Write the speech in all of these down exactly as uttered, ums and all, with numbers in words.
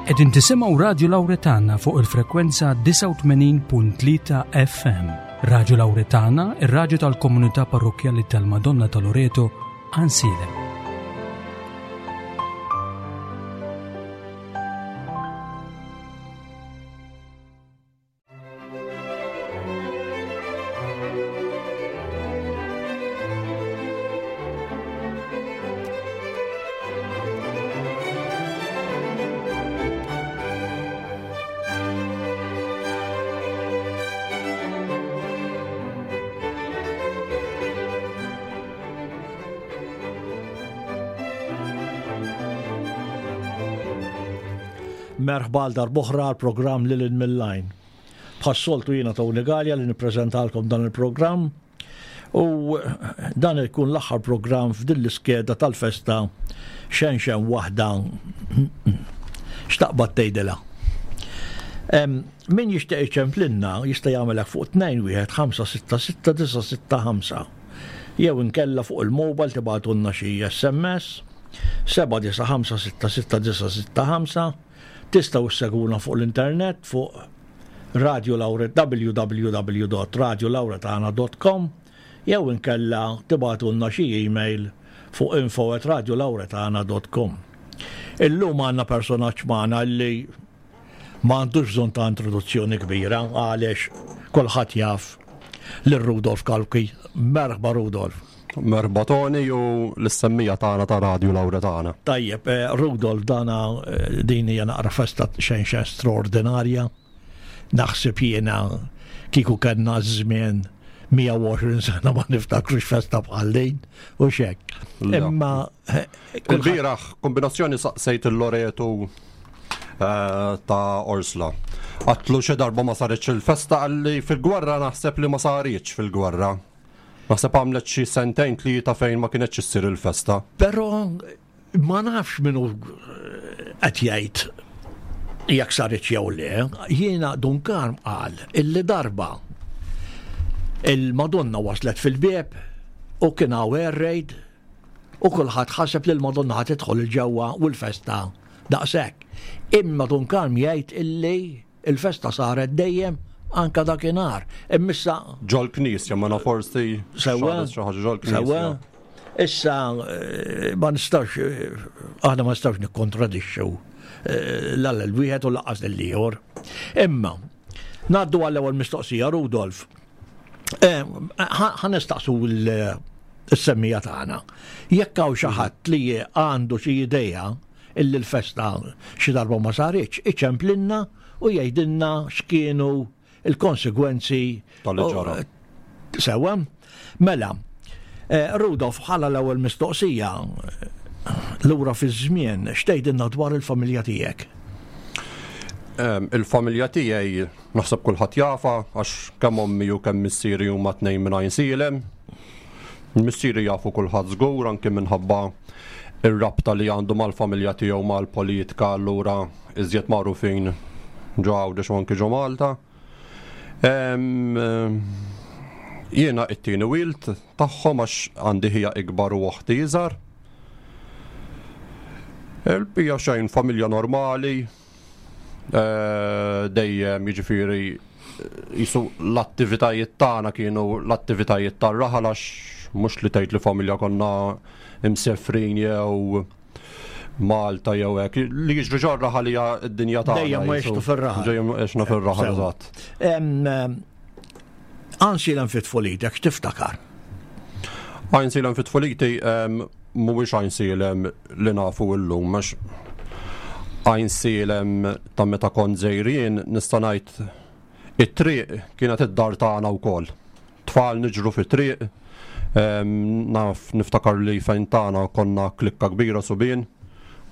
Qegħdin tisimgħu Radju Lawretana fuq il-frekwenza disgħa u tmenin punt tlieta F M. Radju Lawretana, ir-radju tal-komunità parrokkjali tal-Madonna ta' Loreto, Għajnsielem. Merħba għal darb'oħra għal programm Lil Hinn Mill-Għajn. Bħas-soltu jiena Tony Galea li nippreżentalkom dan il-programm u dan ikun l-aħħar programm f'din l-iskeda tal-festa xenxen waħda x'taqbad tgħidilha. Em, min jixtieq iċemplinna jista' jagħmelek fuq tnejn wieħed ħamsa sitta sitta disa' sitta ħamsa. Jew inkella fuq il-mobile tibgħatulna xi S M S seba' disa' ħamsa sitta sitta disa' sitta ħamsa. Tistgħu ssegwuna fuq l-internet fuq Radio Laure, w w w dot radio lauretana dot com jew inkella tibgħatulna xi email fuq info at radio lauretana dot com. Illum għandna personaġġ magħna li ma għandux bżonn ta' introduzzjoni kbira għaliex kulħadd jaf lil Rudolf Cauchi. Merħba Rudolf. Merħba Tony u l-semmija tagħna ta' Radio Lawretana. Tajjeb, eh, Rudolf, dana, eh, din hija naqra festa xejn xejn straordinarja. Naħseb jiena kieku kellna żmien mija u għoxrin sena ma niftakrux festa bħal din u xek. La. Imma, eh, kulħadd Il-bieraħ kombinazzjoni saqsejt il-Loretu, eh, ta' Orsla. Għatlu xi darba ma saritx il-festa, qalli fil-gwerra naħseb li ma saritx fil-gwerra. Naħseb għamlet xi sentejn tlieta fejn ma kienetx issir il-festa. Però ma nafx minnu qed jgħid jekk saritx jew le, jiena Dun Karm qal illi darba il-Madonna waslet fil-bieb u kien hawn air raid u kulħadd ħaseb li l-Madonna ħad tidħol il-ġewwa u l-festa daqshekk. Imma Dun Karm jgħid illi il-festa saret dejjem anka dakinhar. Immissa ġol-knisja, ma forsi Sewwa. xaħat xi ħaġa ġol-knisja. Sewwa. Issa, eh, ma nistax, eh, aħna ma nistax nikkontradixxu, eh, l l-wieħed u lanqas lill-ieħor. Imma ngħaddu għall-ewwel mistoqsija, Rudolf. Eh, ħa, ħa nistaqsu l-, is-semmija tagħna. Jekk hawn xi ħadd li għandu xi idea illi l-festa xi darba ma saritx, iċemplinna u jgħidilna x'kienu il-konsegwenzi tal-li ġara. Sewwa. Mela, eh, Rudolf, bħala l-ewwel mistoqsija, lura fiż-żmien, x'tgħidilna dwar il-familja tiegħek? Em, il-familja tiegħi naħseb kulħadd jafa għax kemm ommi u kemm missieri huma tnejn minn Għajnsielem. Missieri jafu kulħadd żgur anke minħabba ir-rabta li għandu mal-familja tiegħu mal-politika, allura iżjed magħrufin ġo Għawdex u anke ġo Malta. Em, jiena it-tieni wild tagħhom għax għandi ħija ikbar u oħti iżgħar. Il-bija xejn familja normali, eh, dejjem jiġifieri jisu l-attivitajiet tagħna kienu l-attivitajiet tar-raħal għax mhux li tgħid li familja konna imsefrin jew Malta jew hekk. Li jiġri ġo r-raħal hija d-dinja tagħna. Dejjem ma jisu. jgħixu fir-raħal. Dejjem għexna fir-raħal, Sewa. eżatt. Em, em, Għajnsielem fit tfulitek, x'tiftakar? Għajnsielem fit tfuliti, em, mhuwiex Għajnsielem li nafu llum, għax Għajnsielem ta' meta kont żgħirien nista' ngħid it-triq kienet id-dar tagħna wkoll. Tfal niġru fit-triq, em, naf niftakar li fejn tagħna konna klikka kbira subien,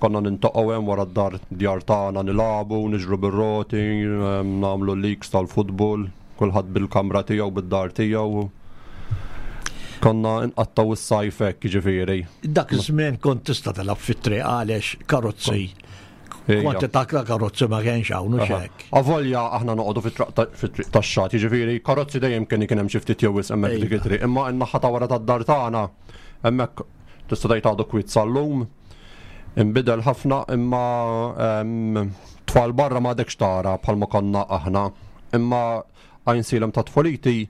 konna nintaqgħu hemm wara d-dar djar tagħna nilagħbu, niġru bir-roti, em, nagħmlu leaks tal-futbol, kulħadd bil-kamra tiegħu, bid-dar tiegħu. Konna nqattaw is-sajf hekk, jiġifieri. Dak iż-żmien kont tista' tilgħab fit-triq għaliex karozzi. Ejja. Kwantità ta' karozzi ma kienx hawn u Aha. x'hekk. Avolja aħna noqogħdu fit-triq ta-, fit-triq tax-xagħat, jiġifieri karozzi dejjem kien ikun hemm xi ftit jew wisq hemmhekk dik Ejja. it-triq, imma n-naħa ta' wara tad-dar tagħna hemmhekk tista' tgħid għadu kwiet sal-lum. Inbidel ħafna imma, ehm, Tfal barra ma għadekx tara bħalma konna aħna, imma Għajnsielem ta' tfuliti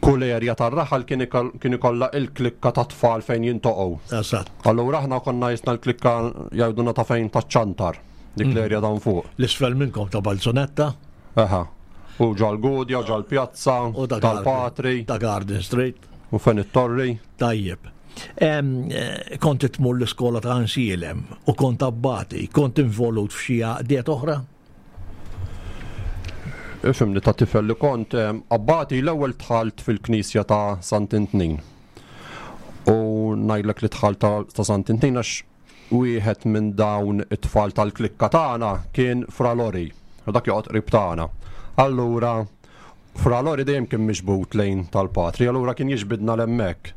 kull erja tar-raħal kien ikollha il-klikka ta' tfal fejn jintoqgħu. Eżatt. Allura aħna konna jisna l-klikka jgħidulna ta' fejn taċ-ċantar, dik mm. l-erja dan fuq. L-isfel minnkom ta' Balzonetta? Eħa. U ġal-Gudja, ġal-Pjazza, tal-Patri. Ta' Garden Street. U fejn it-Torri. Tajjeb. Eh, kont tmur l-iskola ta' Għajnsielem u kont abbati, kont involut f'xi għaqdiet oħra? Ifhimni, ta' tifel li kont, abbati l-ewwel dħalt fil-knisja ta' Sant'Intnin. U ngħidlek li dħalt ta' Sant'Intnin għax wieħed minn dawn it-tfal tal-klikka tagħna kien Fra Lori, u dak joqgħod qrib tagħna. Allura Fra Lori dejjem kien miġbud lejn tal-patri, allura kien jiġbidna l-hemmhekk.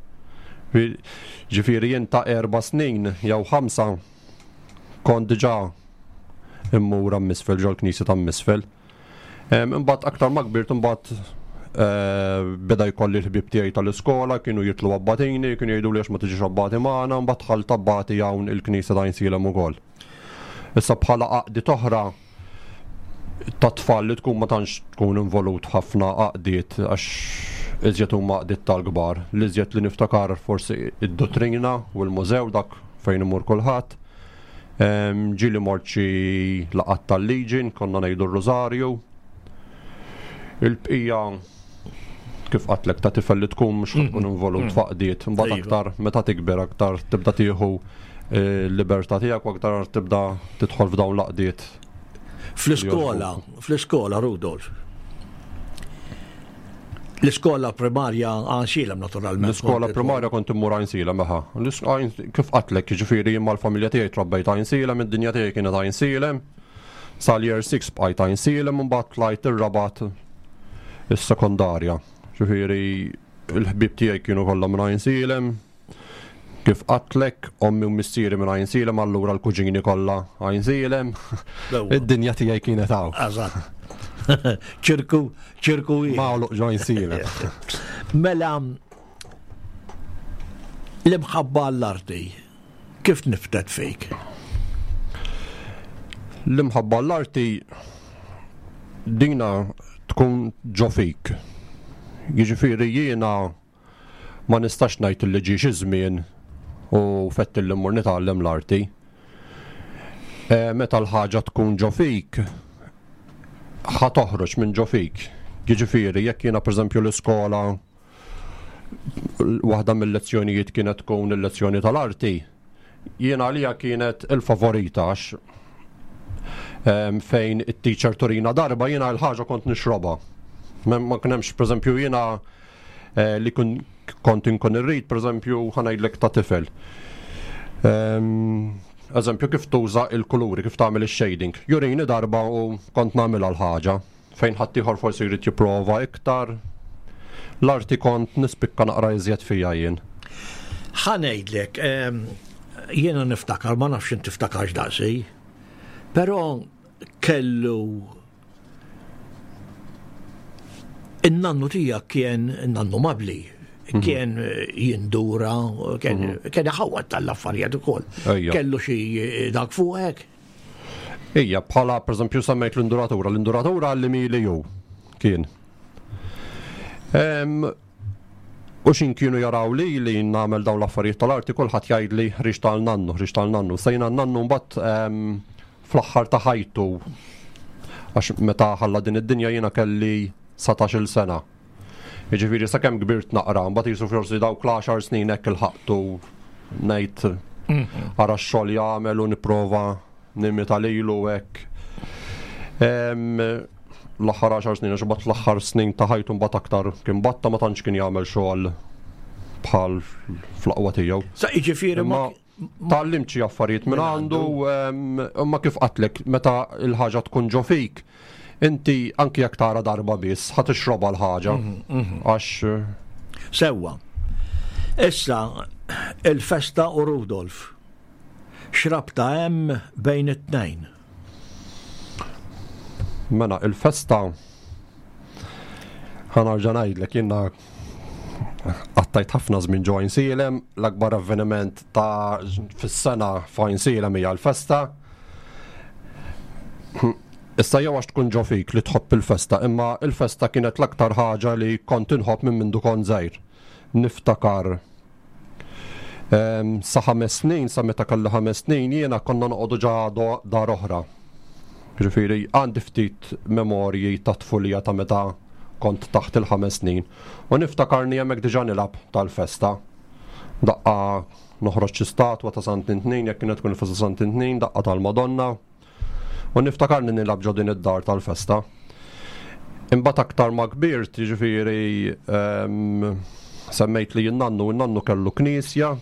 Ġifieri jien ta' erba' snin jew ħamsa kont diġà immur misfel ġol-knisja ta' misfel. Imbagħad aktar ma kbirt, imbagħad eh, beda jkolli l-ħbieb tiegħi tal-iskola, kienu jitlu abbatini, kienu jgħidu li għax ma tiġix abbati magħna, mbagħad dħalt abbati hawn il-knisja ta' Għajnsielem ukoll. Issa bħala għaqdiet oħra ta' tfal li tkun ma tantx tkun involut ħafna għaqdiet għax iżjed huma għaqdiet tal-kbar. L-iżjed li niftakar forsi id-dottrina u l-mużew, dak fejn imur kulħadd. Ġieli mort xi laqgħat tal-Legion, konna ngħidu r-Rożarju. Il-bqija, kif qatlek, ta' tifel li tkun mhux tkun involut mm. f'għaqdiet, imbagħad iva. aktar meta tikber aktar tibda tieħu eh, l-libertà tiegħek u aktar tibda tidħol f'dawn l-għaqdiet. Fl-iskola, fl-iskola, Rudolf. L-iskola primarja Għajnsielem, naturalment. L-iskola primarja kont immur Għajnsielem, eħa. Kif qatlek, ġifieri jien mal-familja tiegħi trabbejt Għajnsielem, id-dinja tiegħi kienet Għajnsielem. Sal-year six bqajt Għajnsielem, mbagħad tlajt ir-Rabat is-sekondarja. Ġifieri il-ħbieb tiegħi kienu kollha minn Għajnsielem. Kif qatlek, ommi u missieri minn Għajnsielem, allura l-kuġini kollha Għajnsielem. Id-dinja tiegħi kienet hawn. Eżatt. ċirku, ċirku wieħed. Magħluq ġo Għajnsielem. Mela, l-imħabba għall-arti, kif niftet fik? L-imħabba għall-arti dina tkun ġo fik. Jiġifieri jiena ma nistax ngħid li ġie xi żmien u fett li mmur nitgħallem l-arti. E, meta l-ħaġa tkun ġo fik, ħa toħroġ minn ġo fik. Jiġifieri jekk jiena pereżempju l-iskola waħda mill-lezzjonijiet kienet tkun il-lezzjoni tal-arti, jiena għalija kienet il-favorita għax fejn it-teacher turina darba jiena l-ħaġa kont nixrobha. Ma kien hemmx, pereżempju jiena eh, li kun kont inkun irrid, pereżempju ħa ngħidlek ta' tifel. Eżempju kif tuża il-kuluri, kif tagħmel ix-shading. Jurini darba u kont nagħmilha l-ħaġa. Fejn ħaddieħor forsi jrid jipprova iktar. L-arti kont nispikka naqra iżjed fija jien. Ħa ngħidlek, jiena niftakar, ma nafx inti tiftakarx daqsi, però kellu in-nannu tiegħek kien nannu Mabli, mhm. kien jindura, kien mhm. kien iħawwad tal-affarijiet ukoll. Kellu xi dak fuqek. Ija, bħala pereżempju semmejt l-induratura, l-induratura li mili ju kien. U xin kienu jaraw li li nagħmel dawn l-affarijiet tal-arti, kulħadd jgħidli ħriġ tal-nannu, ħriġ tal-nannu. Sejna n-nannu mbagħad fl-aħħar ta' ħajtu, għax meta ħalla din id-dinja jiena kelli satax-il sena. Jiġifieri sakemm kbirt naqra, mbagħad jisu forsi dawk l-għaxar snin hekk ilħaqtu ngħid mhm. ara x-xogħol jagħmel u nipprova nimita lilu hekk. L-aħħar għaxar snin, għax mbagħad l-aħħar snin ta' ħajtu mbagħad aktar kien batta ma tantx kien jagħmel xogħol bħal fl-aqwa tiegħu. Sa jiġifieri ma tgħallimt xi affarijiet minn għandu, imma kif qatlek meta l-ħaġa tkun ġo fik, inti anki jekk tara darba biss ħa tixrobha l-ħaġa. Mhm, mhm. Għax Sewwa. Issa il-festa u Rudolf. X'rabta hemm bejn it-tnejn? Mela, il-festa ħa nerġa' ngħidlek jiena qattajt ħafna żmien ġo Għajnsielem, l-akbar avveniment ta' fis-sena f'Għajnsielem hija l-festa. Issa jew għax tkun ġo fik li tħobb il-festa, imma il-festa kienet l-aktar ħaġa li kont inħobb minn mindu kont żgħir. Niftakar em, sa ħames snin, sa meta kelli ħames snin, jiena konna noqogħdu ġa do- dar oħra. Ġifieri għandi ftit memorji ta' tfulija ta' meta kont taħt il-ħames snin. U niftakarni hemmhekk diġà nilgħab tal-festa. Daqqa noħroġ xi statwa ta' Sant'Intnin, jekk kienet tkun il-festa Sant'Intnin, daqqa tal-Madonna. U niftakarni nilgħab ġo din id-dar tal-festa. Imbagħad aktar ma kbirt, jiġifieri em, semmejt li n-nannu, n-nannu kellu knisja,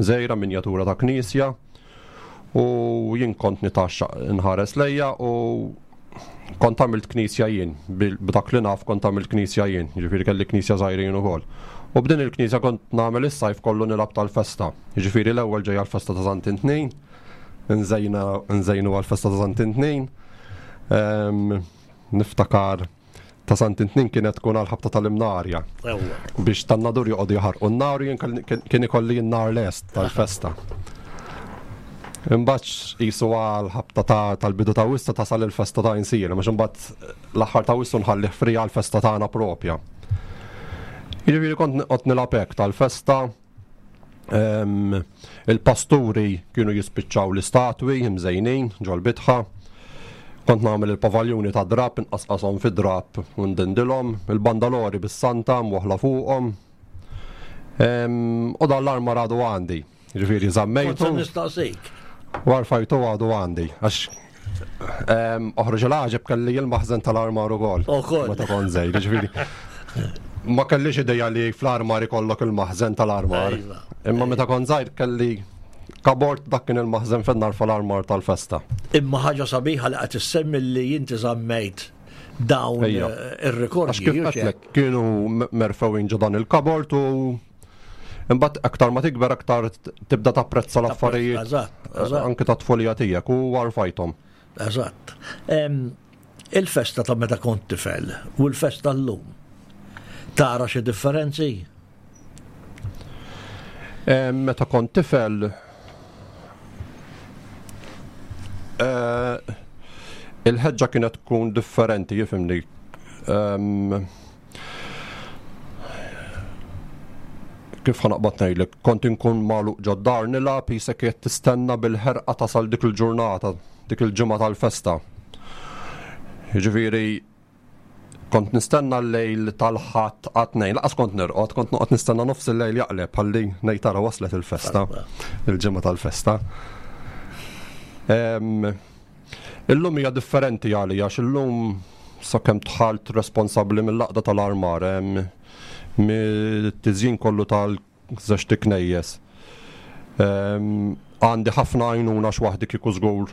żgħira minjatura ta' knisja, u jien kont nitaxxa nħares lejja u kont għamilt knisja jien, bil- b'dak li naf kont għamilt knisja jien, jiġifieri kelli knisja żgħirin ukoll. U b'din il-knisja kont nagħmel is-sajf kollu nilgħab tal-festa. Jiġifieri l-ewwel ġejja l-festa ta' Sant'Intnin, nżejna nżejnu għal-festa ta' Sant'Intnin. Em, niftakar ta' Sant'Intnin kienet tkun għal-ħabta tal-Imnarja Ewwa. biex tan-Nadur joqogħdu jaħarqu n-nar u jien kelli- kien kien ikolli n-nar lest tal-festa. Imbagħad qisu għal ħabta ta' tal-bidu ta' Awwissu tasal il-festa ta' Għajnsielem, għax imbagħad l-aħħar ta' Awwissu nħallih free għal-festa tagħna propja. Jiġifieri kont noqgħod nilgħab hekk tal-festa. Em, il-pasturi kienu jispiċċaw l-istatwi imżejnin ġol-bitħa. Kont nagħmel il-pavaljuni ta' drap, inqasqashom fi drap u ndindilhom, il-bandalori bis-santa mwaħla fuqhom. Em, U dan l-armar għadu għandi. Ġifieri Kont se żammejtu. nistaqsik. Warfajtu għadu għandi. Għax em, oħroġ il-għaġeb kelli il-maħżen tal-armar ukoll. Ukoll. Meta kont żgħir, ġifieri. Ma kellix ideja li fl-armar ikollok il-maħżen tal-armar. Iva. Imma meta kont żgħir kelli kabord dak kien il-maħżen fejn narfa l-armar tal-festa. Imma ħaġa sabiħa li qed issemmi li inti żammejt dawn Ejja. eh, ir-rikordji. Għax kif hux hekk? għedtlek, kienu m- merfewin ġo dan il-kabord u imbagħad aktar ma tikber aktar t- tibda tapprezza l-affarijiet Eżatt, eżatt. anke ta' tfulija tiegħek u warfajthom. Eżatt. Em, Il-festa ta' meta kont tifel u l-festa llum. Tara xi differenzi? Em, Meta kont tifel eh, il-ħeġġa kienet tkun differenti, jifhimni. Em, Kif ħa naqbad ngħidlek, kont inkun magħluq ġod-dar nilgħab qisek qed tistenna bil-ħerqa tasal dik il-ġurnata, dik il-ġimgħa tal-festa. Jiġifieri kont nistenna l-lejl tal-Ħadd għat-Tnejn, lanqas kont nirqod, kont noqgħod nistenna nofs il-lejl jaqleb ħalli ngħid tara waslet il-festa, il-ġimgħa tal-festa. Em, Illum hija differenti għalija għax illum sakemm dħalt responsabbli mill-għaqda tal-armar, em, mit-tiżjin kollu tal-żewġt iknejjes. Em, Għandi ħafna għajnuna għax waħdi kieku żgur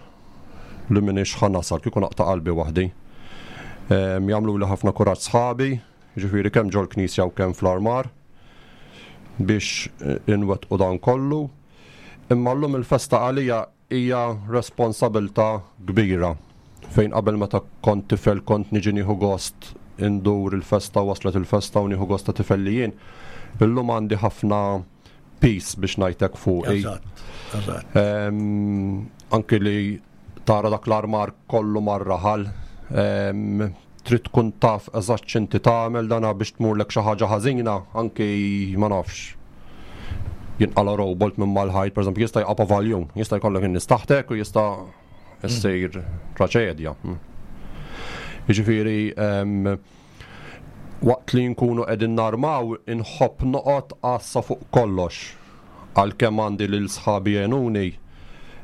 li m'iniex ħa nasal, kieku naqta' qalbi waħdi. Em, Jagħmlu li ħafna kuraġġ sħabi, ġifieri kemm ġol-knisja u kemm fl-armar biex eh, inwettqu dan kollu. Imma llum il-festa għalija hija responsabilta kbira. Fejn qabel meta kont tifel kont niġi nieħu gost indur il-festa, waslet il-festa u nieħu gost ta' tifel li jien. Illum għandi ħafna piż biex ngħidlek fuqi. Eżatt, eżatt. Em, Anki li tara dak l-armar kollu mar-raħal, em, trid tkun taf eżatt x'inti tagħmel dana biex tmurlek xi ħaġa ħażina, anki ma nafx. Jinqala robot minn mal-ħajt, per eżempju, jista' jqa' pavaljun, jista' jkollok in-nies taħtek u jista' issir traċedja. Jiġifieri, em, waqt li nkunu qegħdin narmaw, inħobb noqgħod għassa fuq kollox. Għalkemm għandi lil sħabi jgħinuni,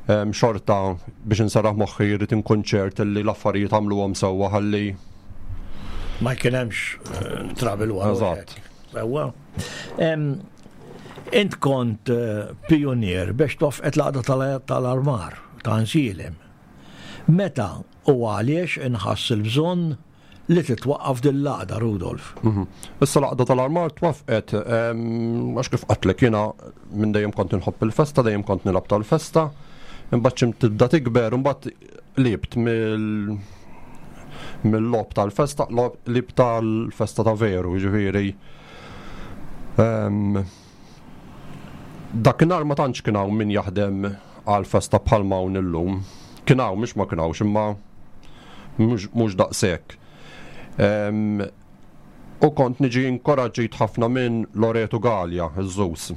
em, xorta biex inserraħ moħħi jrid inkun ċert li l-affarijiet għamluhom sewwa ħalli Ma jkun hemmx eh, trouble wara. Eżatt. Sewwa. Em, Int kont eh, pionier biex twaffqet l-għaqda tal- tal-armar ta' Għajnsielem. Meta u għaliex inħass il-bżonn li titwaqqaf din l-għaqda, Rudolf? Mhm. Issa l-għaqda tal-armar twaffqet, em, għax kif għedtlek jiena minn dejjem kont inħobb il-festa, dejjem kont nilgħab tal-festa, imbagħad x'ħin tibda tikber, imbagħad qlibt mill mill-logħob tal-festa, logħob- qlibt tal-festa ta' veru, jiġifieri. Em, Dakinhar ma tantx kien hawn min jaħdem għal festa bħalma hawn illum. Kien hawn, mhux ma kien hawnx, imma Mhux daqshekk. U kont niġi inkoraġġit ħafna minn Loreto Gallia, iż-Żus.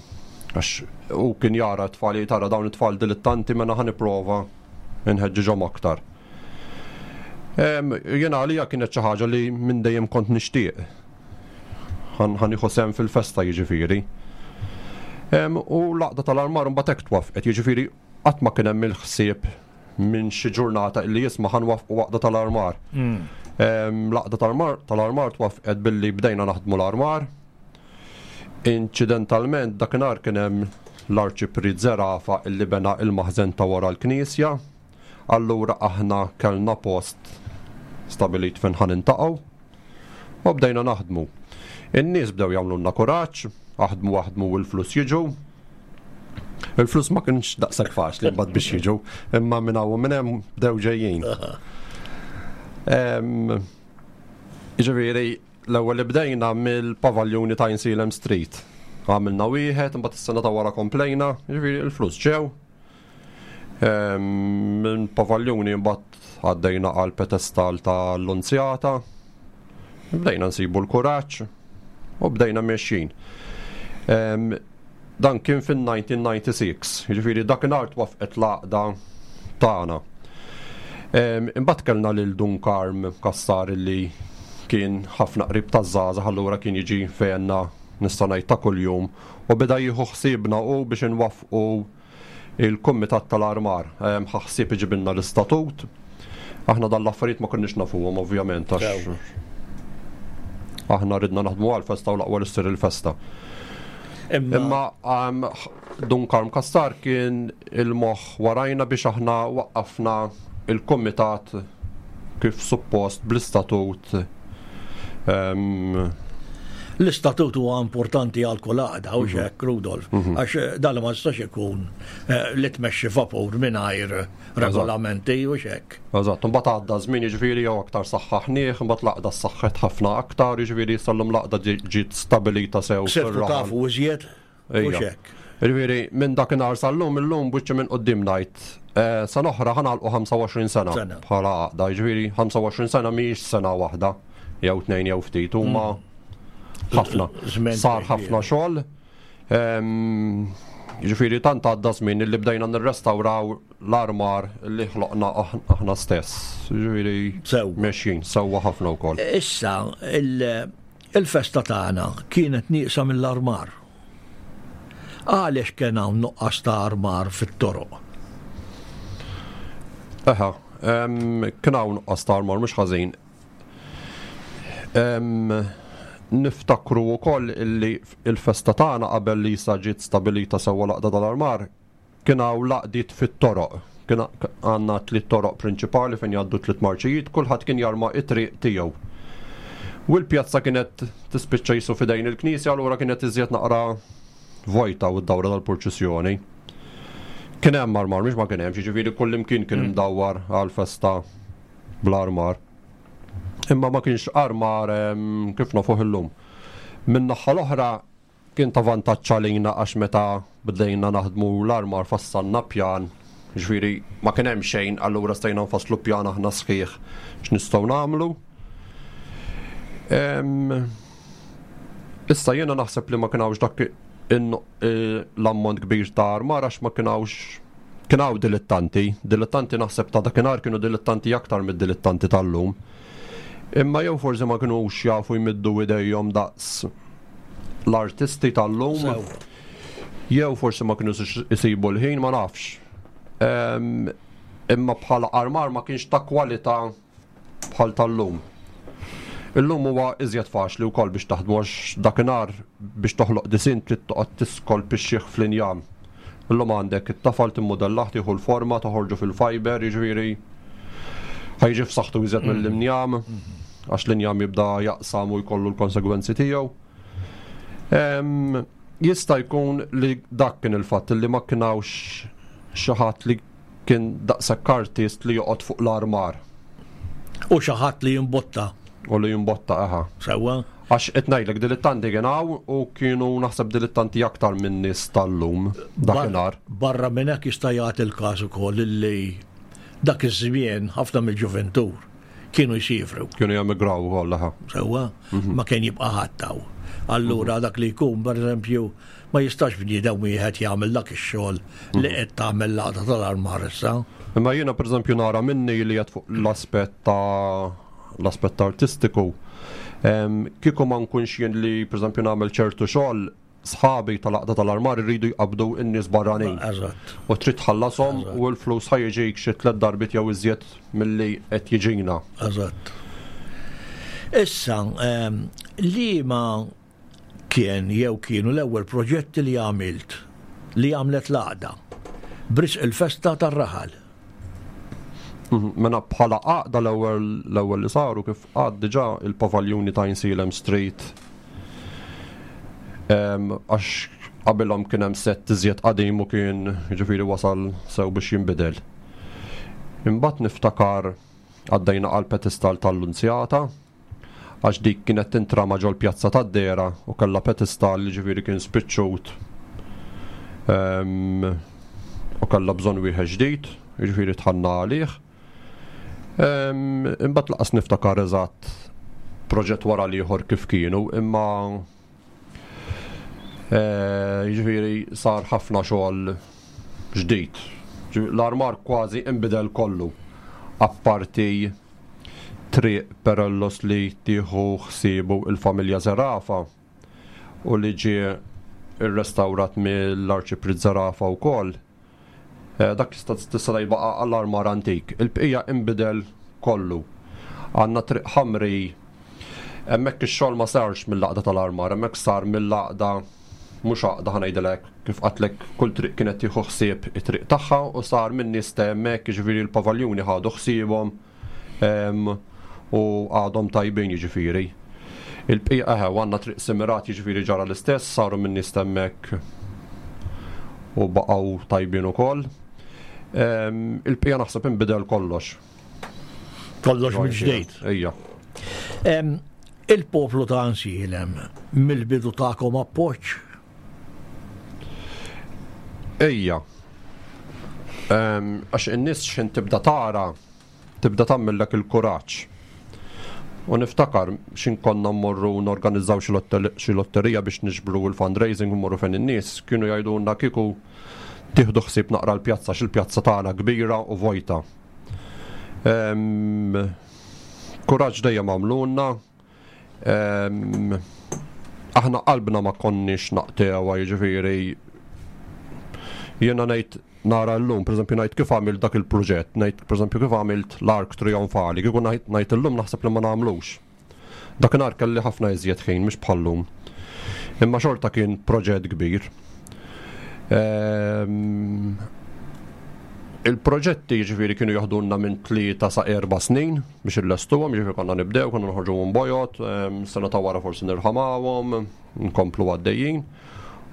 Għax u kien jara t-tfal, tara dawn it-tfal dilettanti, mela ħa nipprova nħeġġiġhom aktar. Jena għalija kienet xi ħaġa li minn dejjem kont nixtieq. Ħa nieħu sehem fil-festa jiġifieri. U l-għaqda tal-armar mbagħad hekk twaffqet, jiġifieri qatt ma kien hemm il-ħsieb minn xi ġurnata illi jisma' ħa nwaffqu għaqda tal-armar. L-għaqda tal-armar twaffqet billi bdejna naħdmu l-armar. Inċidentalment dakinhar kien hemm l-Arċipriet Zerafa illi bena il-maħżen ta' wara l-Knisja. Allura aħna kellna post stabilit fejn ħa niltaqgħu u bdejna naħdmu. In-nies bdew jagħmlulna kuraġġ, aħdmu aħdmu u l-flus jiġu. Il-flus ma kienx daqshekk faċli mbagħad biex jiġu, imma minn hawn u minn hemm bdew ġejjin. Jiġifieri l-ewwel li bdejna mill-pavaljuni ta' Insilem Street. Għamilna wieħed, imbagħad is-sena ta' wara komplejna, jiġifieri l-flus ġew. Minn pavaljuni mbagħad għaddejna għal pedestal ta' Lunzjata. Bdejna nsibu l-kuraġġ u bdejna mexjin. Dan kien fin-nineteen ninety-six, jiġifieri dakinhar twaffqet l-għaqda tagħna. Imbagħad kellna lil Dun Karm Kassar li kien ħafna qrib taż-żgħażagħ, allura kien jiġi fejna nista' ngħid ta' kuljum u beda jieħu ħsiebna u biex inwaffqu il-kumitat tal-armar. Ħa ħsieb iġibilna l-istatut. Aħna dan l-affarijiet ma konniex nafuhom ovvjament għax aħna ridna naħdmu għal-festa u l-aqwa li ssir il-festa. Imma Dun Karm Kassar kien il-moħħ warajna biex aħna waqqafna il-kumitat kif suppost bl-istatut. L-istatut huwa importanti għal kull għaqda, u hekk, Rudolf, għax dan ma jistax ikun li tmexxi vapur mingħajr regolamenti u hekk. Eżatt, imbagħad għadda żmien jiġifieri jew aktar saħħaħnieh, imbagħad l-għaqda saħħet ħafna aktar, jiġifieri sallum l-għaqda ġiet stabilita sew. Sirtu tafu iżjed u hekk. Jiġifieri minn dakinhar sal-lum, illum biċċa minn quddiem ngħid, sena oħra ħanalqu ħamsa u għoxrin sena bħala għaqda, jiġifieri ħamsa u għoxrin sena mhijiex sena waħda, jew tnejn jew ftit, huma ħafna. Sar ħafna xogħol. Jiġifieri tant għadda żmien li bdejna nirrestawraw l-armar li ħloqna aħna stess. Jiġifieri mexjin sewwa ħafna wkoll. Issa il-festa tagħna kienet nieqsa mill-armar. Għaliex kien hawn nuqqas ta' armar fit-toroq? Eħa, kien hawn nuqqas ta' armar mhux ħażin. Niftakru wkoll illi il-festa tagħna qabel li sa ġiet stabilita sewwa l-għaqda tal-armar kien hawn laqdiet fit-toroq. Kien għandna tliet toroq prinċipali fejn jgħaddu tliet marċijiet, kulħadd kien jarma it-triq tiegħu. U l-pjazza kienet tispiċċa jisu f'idejn il-knisja, allura kienet iżjed naqra vojta u d-dawra tal-purċissjoni. Kien hemm armar, mhux ma kien hemm, jiġifieri kull imkien kien imdawwar għall-festa bl-armar. Imma ma kienx armar kif nafuh illum. Min-naħa l-oħra kien ta' vantaġġ għalina għax meta bdejna naħdmu l-armar fassalna pjan, jiġifieri ma kien hemm xejn, allura stajna nfasslu pjan aħna sħiħ x'nistgħu nagħmlu. Issa jiena naħseb li ma kien hawnx dak l-ammont kbir ta' armar għax ma kien hawnx, kien hawn dilettanti, dilettanti naħseb ta' dakinhar kienu dilettanti aktar mid-dilettanti tal-lum. Imma jew forsi ma kinux jafu jmiddu idejhom daqs l-artisti tal-lum, jew forsi ma kinux isibu l-ħin, ma nafx. Imma bħala armar ma kienx ta' kwalità bħal tal-lum. Illum huwa iżjed faċli wkoll biex taħdmu għax dakinhar biex toħloq disin trid toqgħod tiskolpixxih fl-injam. Illum għandek it-tafal timmodellah, tieħu l-forma, toħorġu fil-fiber, jiġifieri ħajġi f'saħħtu iżjed mill-injam, għax l-injam jibda jaqsam u jkollu l-konsegwenzi tiegħu. Jista' jkun li dak kien il-fatt li ma kien hawnx xi ħadd li kien daqshekk artist li joqgħod fuq l-armar. U xi ħadd li jimbotta. U li jimbotta, aha. Sewwa. Għax qed ngħidlek dilettanti kien hawn u kienu naħseb dilettanti aktar minn nies tal-lum dakinhar. Barra minn hekk jista' jagħti l-każ ukoll li dak iż-żmien ħafna mill-ġuventur kienu jsifru. Kienu jemigraw ukoll aha. Sewwa, ma kien jibqa' ħadd hawn. Allura dak li jkun, pereżempju, ma jistax bniedem wieħed jagħmel dak ix-xogħol li qed tagħmel l-għaqda tal-armar issa. Imma jiena pereżempju nara minni li qed fuq l-aspett ta' l-aspett artistiku. Em, Kieku ma nkunx jien li pereżempju nagħmel ċertu xogħol, sħabi tal-għaqda tal-armar irridu jqabdu n-nies barranin. Eżatt. U trid tħallasom u l-flus ħa jiġik xi tliet darbiet jew iżjed milli qed jiġina. Eżatt. Issa, em, li ma kien jew kienu l-ewwel proġetti li għamilt li għamlet l-għaqda b'risq il-festa tar-raħal? Mhm, Mela bħala għaqda l-ewwel l-ewwel li saru, kif għad diġà, il-pavaljuni ta' Għajnsielem Street. Em, Għax qabilhom kien hemm sett iżjed qadim u kien, jiġifieri, wasal sew biex jinbidel. Imbagħad niftakar għaddejna għal pedestal tal-Lunzjata, għax dik kienet tintrama ġol pjazza tad-Dera u kellha pedestal li, ġifieri, kien spiċċut Em, u kellha bżonn wieħed ġdid, jiġifieri dħalna għalih. Em, Imbagħad lanqas niftakar eżatt proġett wara l-ieħor kif kienu, imma eh, jiġifieri sar ħafna xogħol ġdid. Ġifieri, l-armar kważi inbidel kollu. Apparti Triq Perellos li tieħu ħsiebu il-familja Zerafa u li ġie irrestawrat mill-Arċipriet Zerafa wkoll. Eh, Dak tista' tista' tgħid baqa' għall-armar antik. Il-bqija inbidel kollu. Għandna Triq Ħamri, hemmhekk ix-xogħol ma sarx mill-għaqda tal-armar, hemmhekk sar mill-għaqda, mhux għaqda, ħa ngħidilek, kif għedtlek, kull triq kienet tieħu ħsieb it-triq tagħha u sar minn nies ta' hemmhekk, jiġifieri l-pavaljuni ħadu ħsiebhom em, u għadhom tajbin, jiġifieri. Il-bqija eħe, għandna Triq Simirat, jiġifieri ġara l-istess, saru minn nies ta' hemmhekk u baqgħu tajbin ukoll. Em, Il-bqija naħseb inbidel kollox. Kollox mill-ġdid. Ejja. Em, Il-poplu ta' Għajnsielem mill-bidu takom appoġġ? Ejja. Em, Għax in-nies x'ħin tibda tara, tibda tagħmillek il-kuraġġ. U niftakar x'ħin konna mmorru norganizzaw xi lotter- xi lotterija biex niġbru l-fundraising u mmorru fejn in-nies, kienu jgħidulna kieku tieħdu ħsieb naqra l-pjazza, x'il-pjazza tagħna kbira u vojta. Em, Kuraġġ dejjem għamlulna. Em, Aħna qalbna ma konniex naqtgħuha, jiġifieri jiena ngħid nara llum, pereżempju ngħid kif għamilt dak il-proġett, ngħid pereżempju kif għamilt l-ark trionfali, kieku ngħid ngħid illum naħseb li ma nagħmlux. Dakinhar kelli ħafna iżjed ħin, mhux bħallum. Imma xorta kien proġett kbir. Ehm, Il-proġetti, ġifieri, kienu joħdulna minn tlieta sa erba' snin biex illestuhom, ġifieri konna nibdew, konna noħorġu minn bojod, ehm, sena ta' wara forsi nirħamawhom, nkomplu għaddejjin.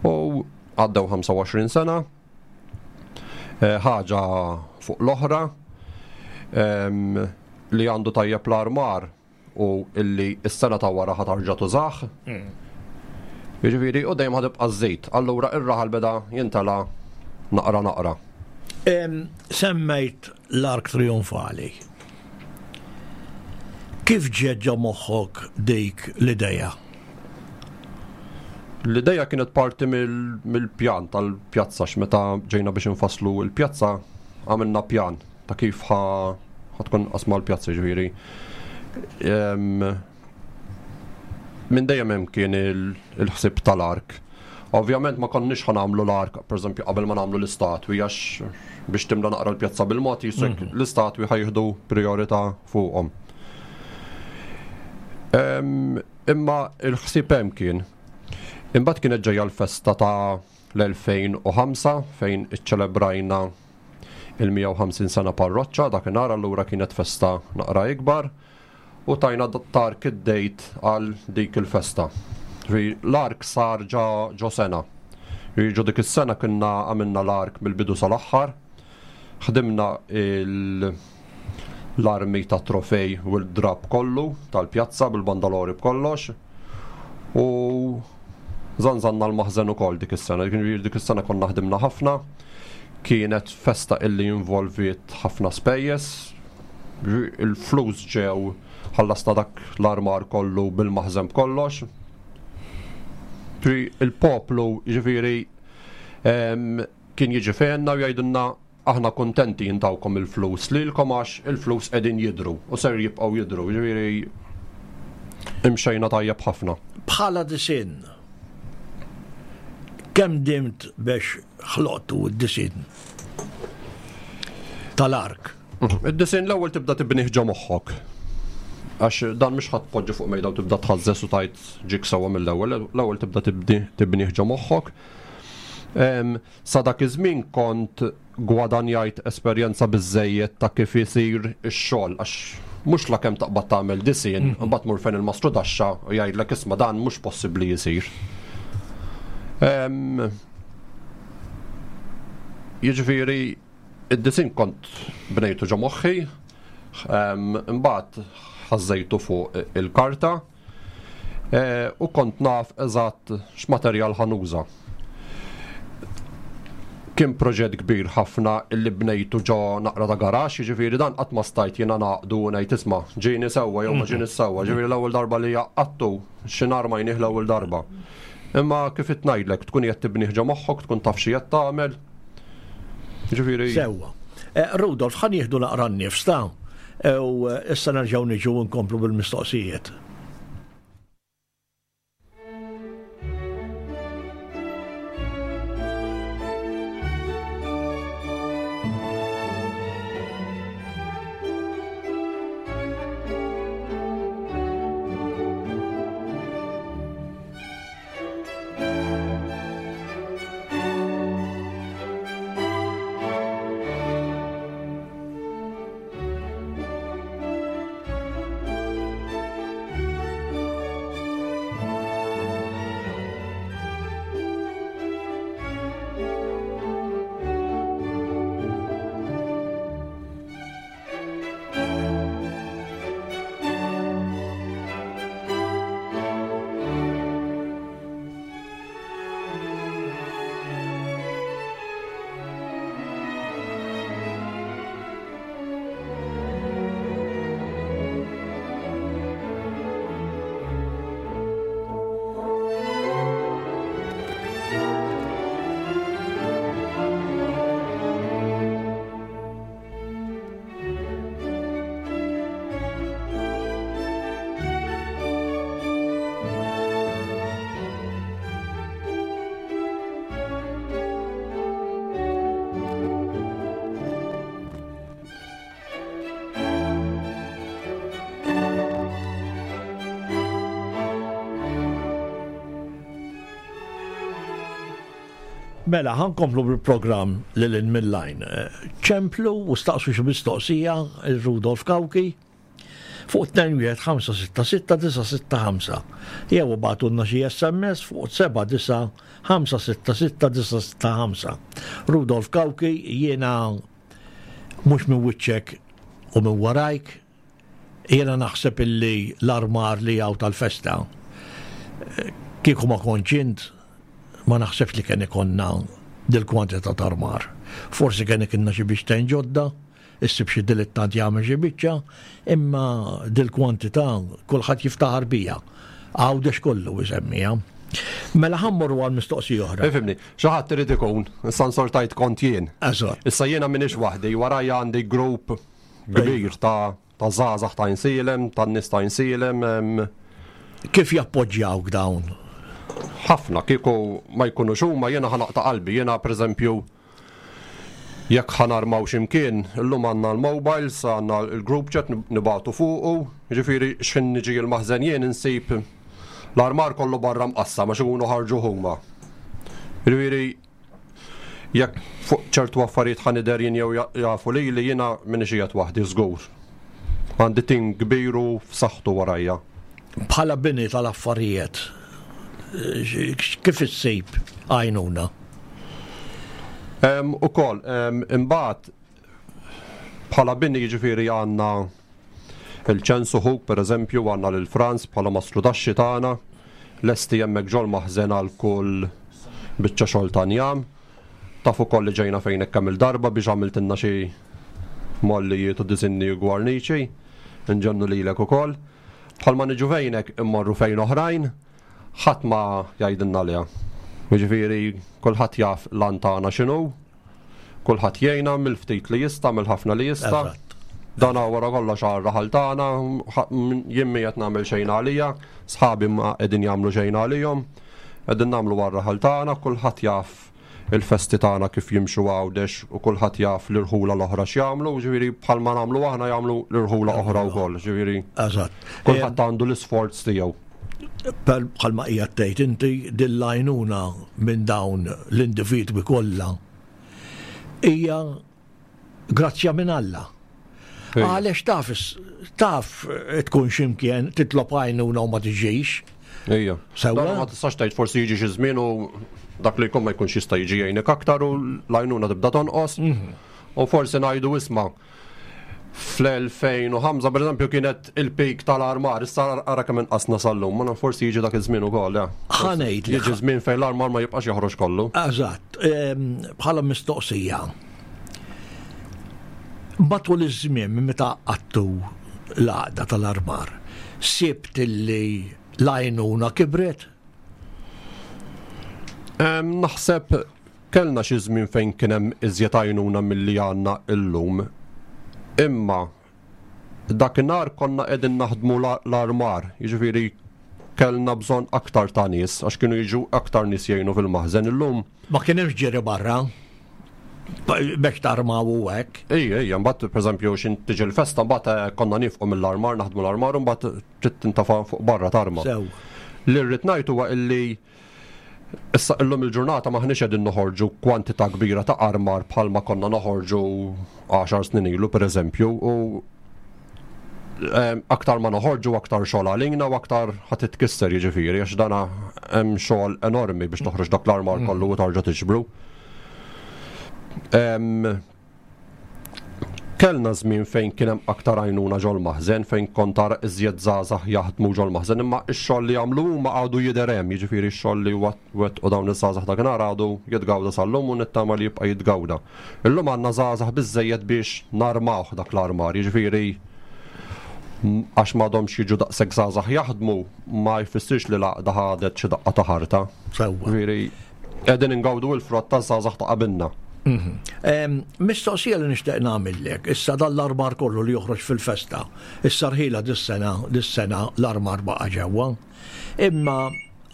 U għaddew ħamsa u għoxrin sena, eh, ħaġa fuq l-oħra, ehm, li għandu tajjeb l-armar u illi s-sena ta' wara ħa terġa' tużah. Jiġifieri, u dejjem ħa tibqa' żżid. Allura ir-raħal beda jintela naqra naqra. Em, Semmejt l-ark trionfali. Kif ġiet ġo moħħok dik l-ideja? L-ideja kienet parti mill- mill-pjan tal-pjazza, x'meta ġejna biex infasslu l-pjazza għamilna pjan ta' kif ħa ħa tkun qasma l-pjazza, ġifieri. Em, Minn dejjem hemm kien il- il-ħsieb tal-ark. Ovvjament ma konniex ħa nagħmlu l-ark, pereżempju, qabel ma nagħmlu l-istatwi, għax biex timla naqra l-pjazza bil-mod jisek l-istatwi ħa jieħdu priorità fuqhom. Em, Imma il-ħsieb hemm kien. Imbagħad kienet ġejja l-festa ta' l-elfejn u ħamsa fejn iċċelebrajna il-mija u ħamsin sena parroċċa dakinhar, allura kienet festa naqra ikbar u tajna tark id-date għal dik il-festa. Ġifieri, l-ark sar ġa ġo sena. Ġifieri, ġo dik is-sena konna għamilna l-ark mill-bidu sal-aħħar, ħdimna il- l-armi ta' trofej u l-drab kollu tal-pjazza bil-bandalori b'kollox u zanzanna l-maħżen ukoll dik is-sena. Ġifieri, dik is-sena konna ħdimna ħafna. Kienet festa illi involviet ħafna spejjeż. Il-flus ġew ħallasna dak l-armar kollu bil-maħżen b'kollox. Il-poplu ġifieri kien jiġi fejna u jgħidilna aħna kontenti jintawkom il-flus lilkom għax il-flus qegħdin jidhru u ser jibqgħu jidhru, ġifieri imxejna tajjeb ħafna. Bħala disinn, kemm dimt biex ħloqtu d-disinn tal-ark? Id-disinn l-ewwel tibda tibnih ġo moħħok. Għax dan mhux ħadd tpoġġi fuq mejda u tibda tħażżes u tajt ġik sewwa mill-ewwel, l-ewwel tibda tibnih ġo moħħok. Sa dak iż-żmien kont gwadanjajt esperjenza biżżejjed ta' kif isir ix-xogħol, għax mhux la kemm taqbad tagħmel disinn, imbagħad tmur fejn il-mastru daxxa u jgħidlek isma' dan mhux possibbli jsir. Jiġifieri id-disinn kont bnejtu ġo moħħi, imbagħad ħażejtu fuq il-karta u kont naf eżatt x'materjal ħanuża. Kien proġett kbir ħafna illi bnejtu ġo naqra ta' garax, jiġifieri dan qatt ma stajt jiena naqdu u ngħid isma' ġieni sewwa jew ma ġieni sewwa, ġifieri l-ewwel darba li jaqattu xi nhar ma jnih l-ewwel darba. Imma kif qed ngħidlek tkun qed tibnih ġo moħħok, tkun taf xi qed tagħmel. Ġifieri sewwa. Rudolf, ħa nieħdu naqra n-nifs ta' u issa nerġgħu niġu nkomplu bil-mistoqsijiet. Mela, ħankomplu bil-programm lil hinn mill-lajn. Ċemplu u staqsu xi mistoqsija il-Rudolf Cauchi fuq tnejn wieħed ħamsa sitta sitta disa' sitta ħamsa. Jew bagħtulna xi S M S fuq seba' disa' ħamsa sitta sitta disa' sitta ħamsa. Rudolf Cauchi, jiena mhux minn wiċċek u minn warajk, jiena naħseb illi l-armar li hawn tal-festa kieku ma kontx int, ma naħsebx li kien ikonna dil-kwantità ta' armar. Forsi kien ikinna xi biċċtejn ġodda, issib xi dilettant jagħmel xi biċċa, imma dil-kwantità kulħadd jiftaħar bija. Għawdex kollu jsemmiha. Mela ħammorru għal mistoqsija oħra. Ifhimni, xi ħadd irid ikun, issa nsortajt kont jien. Eżatt. Issa jiena m'iniex waħdi, warajja għandi grupp kbir ta' ta' żgħażagħ ta' Għajnsielem, ta' nies ta' Għajnsielem. Kif jappoġġjawk dawn? Ħafna, kieku ma jkunux huma jiena ħanaqta' qalbi. Jiena pereżempju jekk ħanarmaw x'imkien, illum għandna l-mobiles, għandna l-group chat nibagħtu fuqu, jiġifieri x'ħin niġi l-maħżen jien insib l-armar kollu barra mqassam għax ikunu ħarġu huma. Jiġifieri jekk fuq ċertu affarijiet ħa nidher jien jew jafu lili, jiena m'iniex qiegħed waħdi żgur. Għandi tim kbir u f'saħħtu warajja. Bħala bini tal-affarijiet, kif issib għajnuna? Ukoll, imbagħad bħala bini jiġifieri għandna il-ċensu ħuk, pereżempju, għandna lil Franz bħala mastru taxxi tagħna, lesti hemmhekk ġol maħżen għal kull biċċa xogħol ta' njam. Taf ukoll li ġejna fejn hekk kemm il-darba biex għamiltilna xi mollijiet u disinni u gwarniċi, nġennu lilek ukoll. Bħalma niġu fejnek immorru fejn oħrajn, ħadd ma jgħidilna le. Jiġifieri kulħadd jaf l-għan tagħna x'inhu, kulħadd jgħinna mill-ftit li jista', mill-ħafna li jista'. Dan wara kollox għar-raħal tagħna, jien mhi qed nagħmel xejn għalija, sħabi ma qegħdin jagħmlu xejn għalihom, qegħdin nagħmlu għar-raħal tagħna, kulħadd jaf il-festi tagħna kif jimxu Għawdex u kulħadd jaf l-irħula l-oħra x'jagħmlu, ġifieri bħalma nagħmlu aħna jagħmlu l-irħula oħra wkoll, ġifieri. Eżatt. Kulħadd għandu l-isforz tiegħu. Bħalma qiegħed tgħid inti din l-għajnuna minn dawn l-individwi kollha hija grazzja minn Alla. Għaliex taf taf tkun x'imkien titlob għajnuna u ma tiġix. Ejja. Sewwa ma tistax tgħid forsi jiġi xi żmien u dak li jkun ma jkunx jista' jiġi jgħinek aktar u l-għajnuna tibda tonqos. U forsi ngħidu isma' fl-elfejn u ħamsa pereżempju kienet il-pik tal-armar, issa ara kemm inqasna sal-lum, ma forsi jiġi dak iż-żmien ukoll, ja. Ħa ngħid li Jiġi żmien fejn l-armar ma jibqax joħroġ kollu. Eżatt, bħala mistoqsija. Matul iż-żmien minn meta għaqqadtu l-għaqda tal-armar, sibt illi l-għajnuna kibret? Naħseb kellna xi żmien fejn kien hemm iżjed għajnuna milli għandna illum. Imma dakinhar konna qegħdin naħdmu l-armar, jiġifieri kellna bżonn aktar ta' nies għax kienu jiġu aktar nies jgħinu fil-maħżen illum. Ma kien hemmx ġiri barra biex tarmaw u hekk. Ejja, ejja, mbagħad pereżempju x'in tiġi l-festa mbagħad konna nifqu mill-armar, naħdmu l-armar u mbagħad trid tintafa' fuq barra tarma. Sew. Li rrid ngħid huwa illi issa illum il-ġurnata maħniex qegħdin noħorġu kwantità kbira ta' armar bħalma konna noħorġu għaxar snin ilu pereżempju, u aktar ma noħorġu aktar xogħol għalina u aktar ħadd titkisser jiġifieri għax dana hemm xogħol enormi biex toħroġ dak l-armar kollu u tarġa' tiġbru. Kellna żmien fejn kien hemm aktar għajnuna ġol-maħżen, fejn kont tara iżjed żgħażagħ jaħdmu ġol-maħżen, imma x-xogħol li jagħmlu huma għadu jidher hemm, jiġifieri x-xogħol li wettqu dawn iż-żgħażagħ dakinhar għadu jitgawda sal-lum u nittama li jibqa' jitgawda. Illum għandna żgħażagħ biżżejjed biex narmawh dak l-armar, jiġifieri għax m'għadhomx jiġu daqshekk żgħażagħ jaħdmu ma jfissirx li l-għaqda ħadet xi daqqa ta' ħarta. Sewwa. Jiġifieri qegħdin ingawdu l-frott taż-żgħażagħ ta' qabilna. Mistoqsija li nixtieq nagħmillek, issa dan l-armar kollu li joħroġ fil-festa, issa rħila dis-sena, dis-sena l-armar baqa' ġewwa. Imma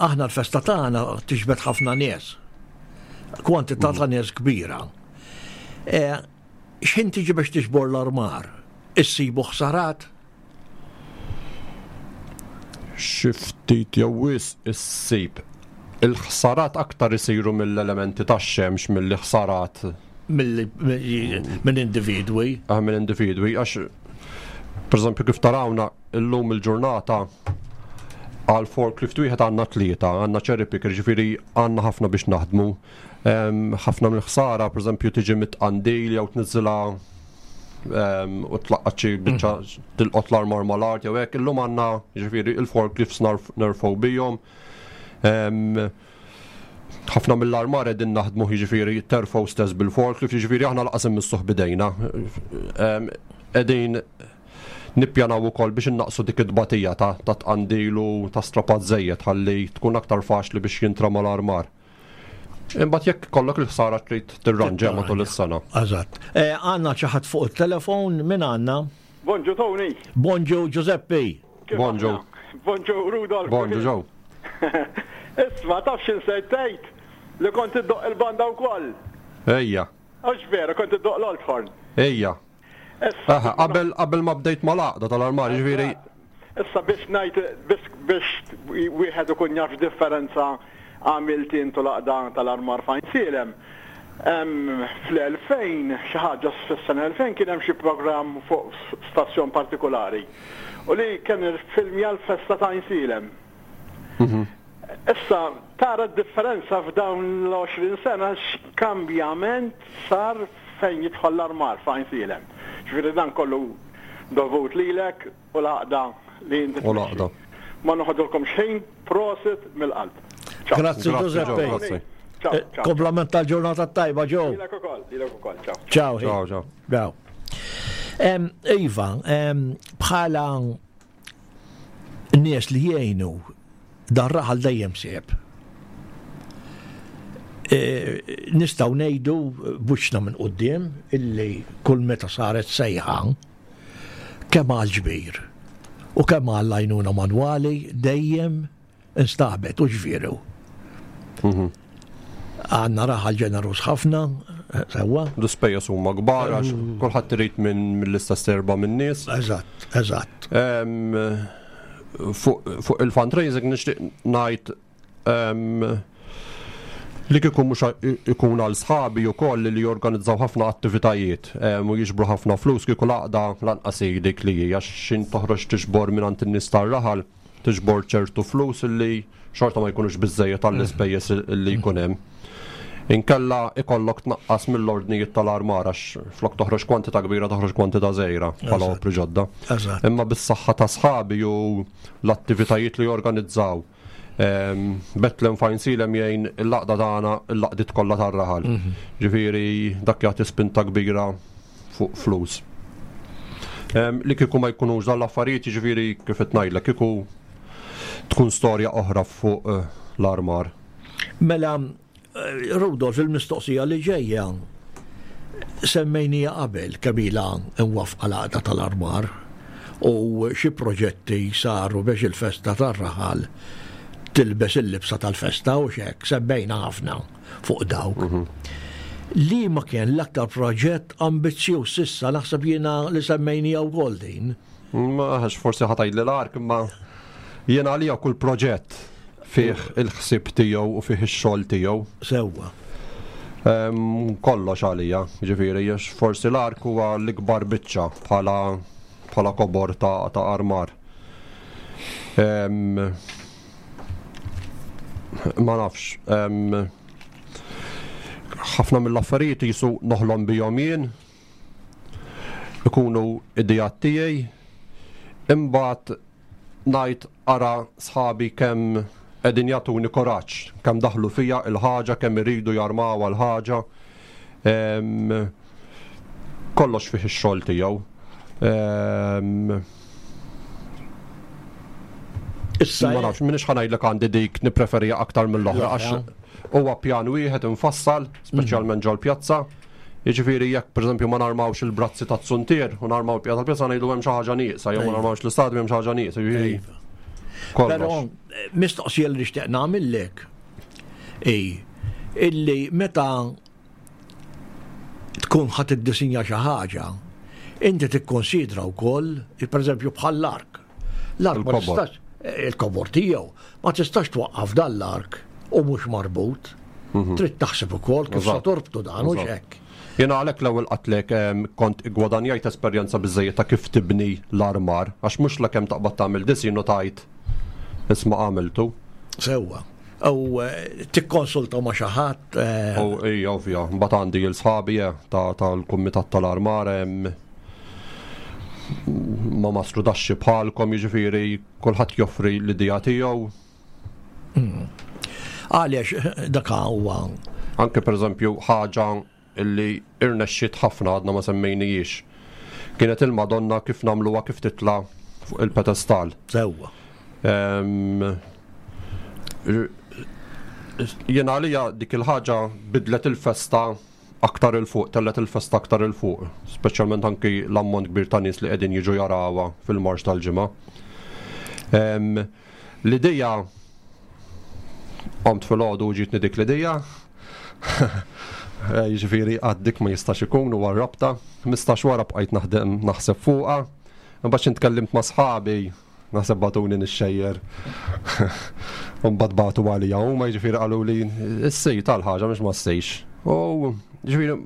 aħna l-festa tagħna tiġbed ħafna nies. Kwantità ta' nies kbira. X'ħin tiġi biex tiġbor l-armar? Issibu ħsarat? Xi ftit jew wisq issib. Il-ħsarat aktar isiru mill-elementi tax-xemx milli ħsarat minn individwi. Ah, minn individwi, għax pereżempju kif tarawna illum il-ġurnata għal forklift wieħed għandna tlieta, għandna cherry picker, ġifieri għandna ħafna biex naħdmu. Ħafna mill-ħsara pereżempju tiġi mit-tqandil jew tniżżilha u tlaqqat xi biċċa tilqot l-armar mal-art jew hekk. Illum għandna ġifieri il-forklifts nerfgħu bihom. Ħafna mill-armar qegħdin naħdmu jiġifieri terfgħu stess bil-forklift, jiġifieri aħna lanqas immissuh bidejna. Qegħdin nippjanaw ukoll biex innaqsu dik it-tbatija ta' tqandil u ta' strapat żejjed ħalli tkun aktar faċli biex jintrama l-armar. Imbagħad jekk kollok il-ħsara trid tirranġa matul is-sena. Eżatt. Għandna xi ħadd fuq it-telefon, min għandna? Bonġu Tony. Bonġu Giuseppe. Bonġu. Bonġu Rudolf. Bonġu Joe. Isma, taf x'insejt tgħid? Li kont iddoq il-banda wkoll. Ejja. Għax vera, kont iddoq l-Old Ejja. Aha, qabel qabel ma bdejt mal-għaqda tal-armar, jiġifieri. Issa biex ngħid biex biex wieħed ikun jaf differenza għamilt intu l-għaqda tal-armar f'Għajnsielem. Fl-elfejn, xi ħaġa fis-sena elfejn kien hemm xi programm fuq stazzjon partikolari u li kien il-filmja l-festa ta' Għajnsielem. Issa tara d-differenza f'dawn l-għoxrin sena x'kambjament sar fejn jidħol l-armar f'Għajnsielem. Ġifieri dan kollu dovut lilek u l-għaqda li inti. U l-għaqda. Ma noħodulkom xejn, prosit mill-qalb. Grazzi Giuseppe. Kompliment tal-ġurnata tajba Joe. Lilek ukoll, lilek ukoll, ciao. Ciao. Ciao, ciao. Ciao. Iva, bħala nies li jgħinu dan raħal dejjem seb. E, nistgħu ngħidu buċna minn quddiem illi kull meta saret sejħa kemm għal ġbir u kemm għal għajnuna manwali dejjem instabet u ġvieru. Mhm. Għandna raħal ġenerus ħafna, sewwa. L-ispejjeż huma kbar għax kulħadd irid minn mill-istess erba' min-nies. Eżatt, eżatt. Em, Fuq fuq il-fundraising nixtieq ngħid em, li kieku mhux ikun għal sħabi wkoll li jorganizzaw ħafna attivitajiet em, u jiġbru ħafna flus, kieku l-għaqda lanqas hi dik li hi, għax xin toħroġ tiġbor minn in-nies tar-raħal, tiġbor ċertu flus li xorta ma jkunux biżejjed għall-ispejjeż li jkun hemm. Inkella ikollok tnaqqas mill-ordnijiet tal-armar għax flok toħroġ kwantità kbira toħroġ kwantità żgħira bħala Eżatt. opri ġodda. Eżatt. Imma bis-saħħa ta' sħabi u l-attivitajiet li jorganizzaw. Em, Betlem f'Għajnsielem jgħin il-għaqda tagħna, il-għaqdiet kollha tar-raħal. Ġifieri dak jagħti spinta kbira fuq flus. Em, Li kieku ma jkunux dan l-affarijiet, ġifieri kif qed ngħidlek, kieku tkun storja oħra fuq eh, l-armar. Mela, eh, Rudolf, il-mistoqsija li ġejja semmejnija qabel kemm ilha imwaqqfa l-għaqda tal-armar u xi proġetti saru biex il-festa tar-raħal tilbes il-libsa tal-festa u xek, semmejna ħafna fuq dawk. Li ma kien l-aktar proġett ambizzjuż s'issa, naħseb jiena li semmejnija wkoll din. Ma għax forsi ħa tgħidli l-ark, imma jiena għalija kull proġett fih il-ħsieb tiegħu u fih ix-xogħol tiegħu. Sewwa. Em, Kollox għalija, ġifieri, għax forsi l-ark huwa l-ikbar biċċa bħala bħala kobor ta', ta' armar. Em, ma nafx, em, ħafna mill-affarijiet jisu noħlom bihom jien, ikunu idejat tiegħi, imbagħad ngħid ara sħabi kemm qegħdin jagħtuni kuraġġ, kemm daħlu fija il-ħaġa, kemm iridu jarmaw l-ħaġa. Em, Kollox fih ix-xogħol tiegħu. Em, Issa, Ma nafx, minix ħa ngħidlek għandi dik nippreferija aktar mill-oħra għax huwa pjan wieħed infassal, speċjalment ġol-pjazza. Jiġifieri jekk pereżempju ma narmawx il-brazzi tat-suntier u narmaw il-pjazza tal-pjazza, ngħidu hemm xi ħaġa nieqsa, jew ma Iva. narmawx l-istadju, hemm xi ħaġa nieqsa, jiġifieri Iva. Però kollox. eh, mistoqsija li nixtieq nagħmillek i illi meta tkun ħadd iddisinja xi ħaġa, inti tikkonsidra wkoll, pereżempju bħal l-ark. L-ark ma Il-kobor. tistax eh, il-kobor tiegħu ma tistax twaqqaf dan l-ark u mhux marbut. Trid taħseb ukoll kif se Eżatt. torbtu dan u Eżatt. hekk. Jena għalhekk l-ewwel qatlek em, kont gwadanjajt esperjenza biżejjed ta' kif tibni l-armar, għax mhux la kemm taqbad tagħmel disin u tajt isma' għamiltu. Sewwa. U eh, tikkonsulta ma' xi ħadd eh, U ija ovvja, mbagħad għandi l-sħabi eh, ta' tal-kumitat tal-armar em, ma mastru daxxi bħalkom, jiġifieri kulħadd joffri l-idea tiegħu. Għaliex dak huwa Anke pereżempju ħaġa illi irnexxiet ħafna, għadna ma semmejnijiex. Kienet il-Madonna kif nagħmluha kif titla' fuq il-pedestal. Sewwa. Em, r- Jena għalija dik il-ħaġa bidlet il-festa aktar il-fuq, tellet il-festa aktar il-fuq, speċjalment anki l-ammont kbir ta' nies li qegħdin jiġu jarawha fil-marx tal-ġimgħa. Em, L-idea qomt fil-għodu u ġietni dik l-idea. Eh, Jiġifieri għad dik ma jistax ikun u warrabta. Mistax wara bqajt naħdem naħseb fuqha. Imbagħad xi tkellimt ma' sħabi, naħseb bagħtuni nixxejjer. U mbagħad bagħtu għalija huma, jiġifieri qalu li issej tal-ħaġa mhux ma ssejx. U jiġifieri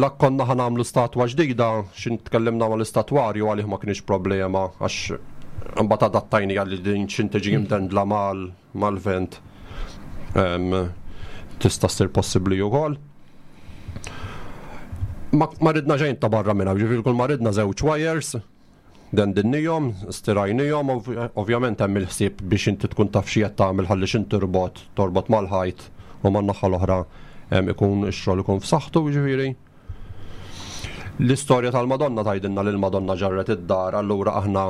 la konna ħa nagħmlu statwa ġdida, xin tkellimna mal-istatwarju, għalih ma kienx problema għax imbagħad adattajni għalli din xin tiġi imdendla mal mal-vent. Em, Tista' ssir possibbli wkoll. Ma, ma ridna xejn ta' barra minna, ġifieri kull ma ridna żewġ wires, dendinniehom, stirajniehom, ov- ovvjament hemm il-ħsieb biex inti tkun taf xi qed tagħmel ħalli x'int tirbot, torbot mal-ħajt u man-naħa l-oħra em, ikun ix-xogħol ikun f'saħħtu, ġifieri. L-istorja tal-Madonna tgħidilna li l-Madonna ġarret id-dar, allura aħna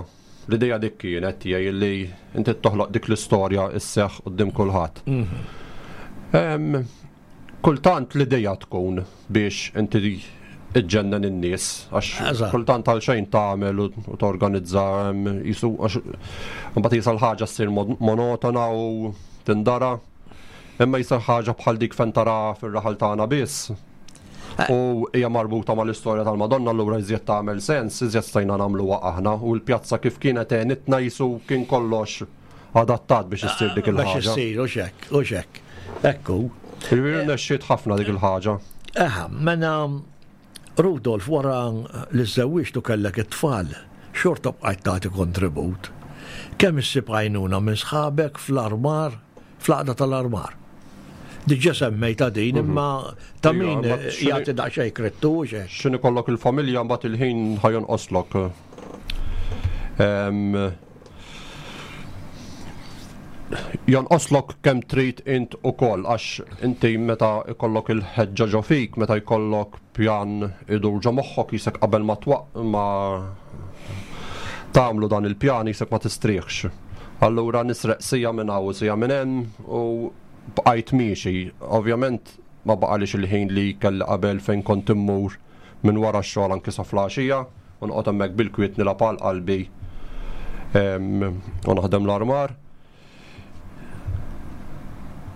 l-idea dik kienet tiegħi li inti toħloq dik l-istorja isseħħ quddiem kulħadd. Mhm. Kultant l-idea tkun biex inti iġġennen in-nies għax kultant għal xejn tagħmel u torganizza jisu għax imbagħad jisal ħaġa ssir monotona u tindara. Imma jisal ħaġa bħal dik fejn tara fir-raħal tagħna biss. Eh. U hija marbuta mal-istorja tal-Madonna allura iżjed tagħmel sens, iżjed stajna nagħmluha aħna u l-pjazza kif kienet għenitna jisu kien kollox adattat biex issir dik il-ħaġa. Biex issir, u xek, u xek. Ekku. Ġifieri nexxiet ħafna dik il-ħaġa. Eħa, mena Rudolf wara li żewwiġtu kellek it-tfal, xorta bqajt tagħti kontribut. Kemm issib għajnuna minn sħabek fl-armar, fl-għaqda tal-armar? Diġà semmejta din, mhm. imma ta' min jagħti daqsxejn krettu xejn. X'in ikollok il-familja mbagħad il-ħin ħajonqoslok. Jonqoslok kemm trid int ukoll għax inti meta jkollok il-ħeġġa ġo fik, meta jkollok pjan idur ġo moħħok jisek qabel ma twaq ma tagħmlu dan il-pjan jisek ma tistrieħx. Allura nisreq sija minn hawn u sija minn hemm u bqajt miexi. Ovvjament ma baqalix il-ħin li kelli qabel fejn kont immur minn wara x-xogħol anki sa flaxija u noqgħod hemmhekk bil-kwiet nilgħab għal qalbi u naħdem l-armar.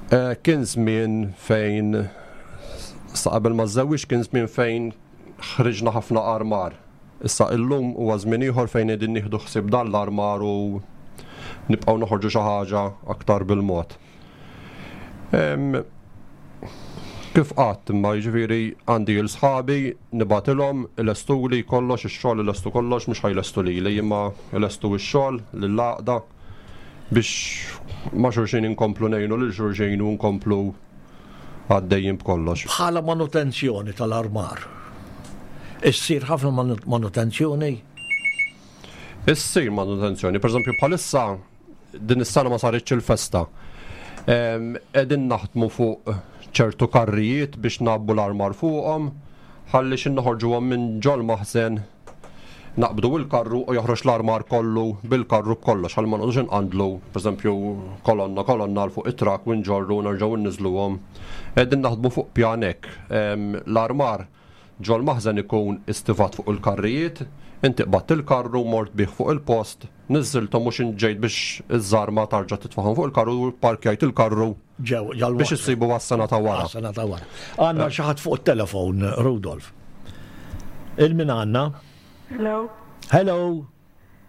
Eh, kien żmien fejn sa qabel ma żewwix kien żmien fejn ħriġna ħafna armar. Issa illum huwa żmien ieħor fejn qegħdin nieħdu ħsieb dan l-armar u nibqgħu noħorġu xi ħaġa aktar bil-mod. Kif qatt imma jiġifieri għandi l sħabi nibgħatilhom ilestuli kollox ix-xogħol ilestu kollox mhux ħajlestu lili imma ilestu x-xogħol lill-għaqda biex ma' xulxin inkomplu ngħinu lil xulxin u nkomplu għaddejjin b'kollox. Bħala manutenzjoni tal-armar. Issir ħafna manutenzjoni? Issir manutenzjoni. Per eżempju, bħalissa din is-sena ma saritx il-festa. Qegħdin naħdmu fuq ċertu karrijiet biex nabbu l-armar fuqhom, ħalli xi noħorġuhom minn ġol maħżen naqbdu il-karru u joħroġ l-armar kollu bil-karru b'kollox, ħalli ma noqogħdux inqandlu, pereżempju kolonna kolonna l fuq it-trak u nġorru nerġgħu nniżluhom. Qegħdin naħdmu fuq pjan hekk. L-armar ġol maħżen ikun istivat fuq il-karrijiet, inti qbadt il-karru mort bih fuq il-post, niżżilthom mhux inġejt biex iż-żarma tarġa' titfagħhom fuq il-karru u parkjajt il-karru biex issibu għas-sena ta' wara. Għas-sena ta' wara. Għandna xi ħadd fuq it-telefon, Rudolf. Il-min għandna? Hello. Hello.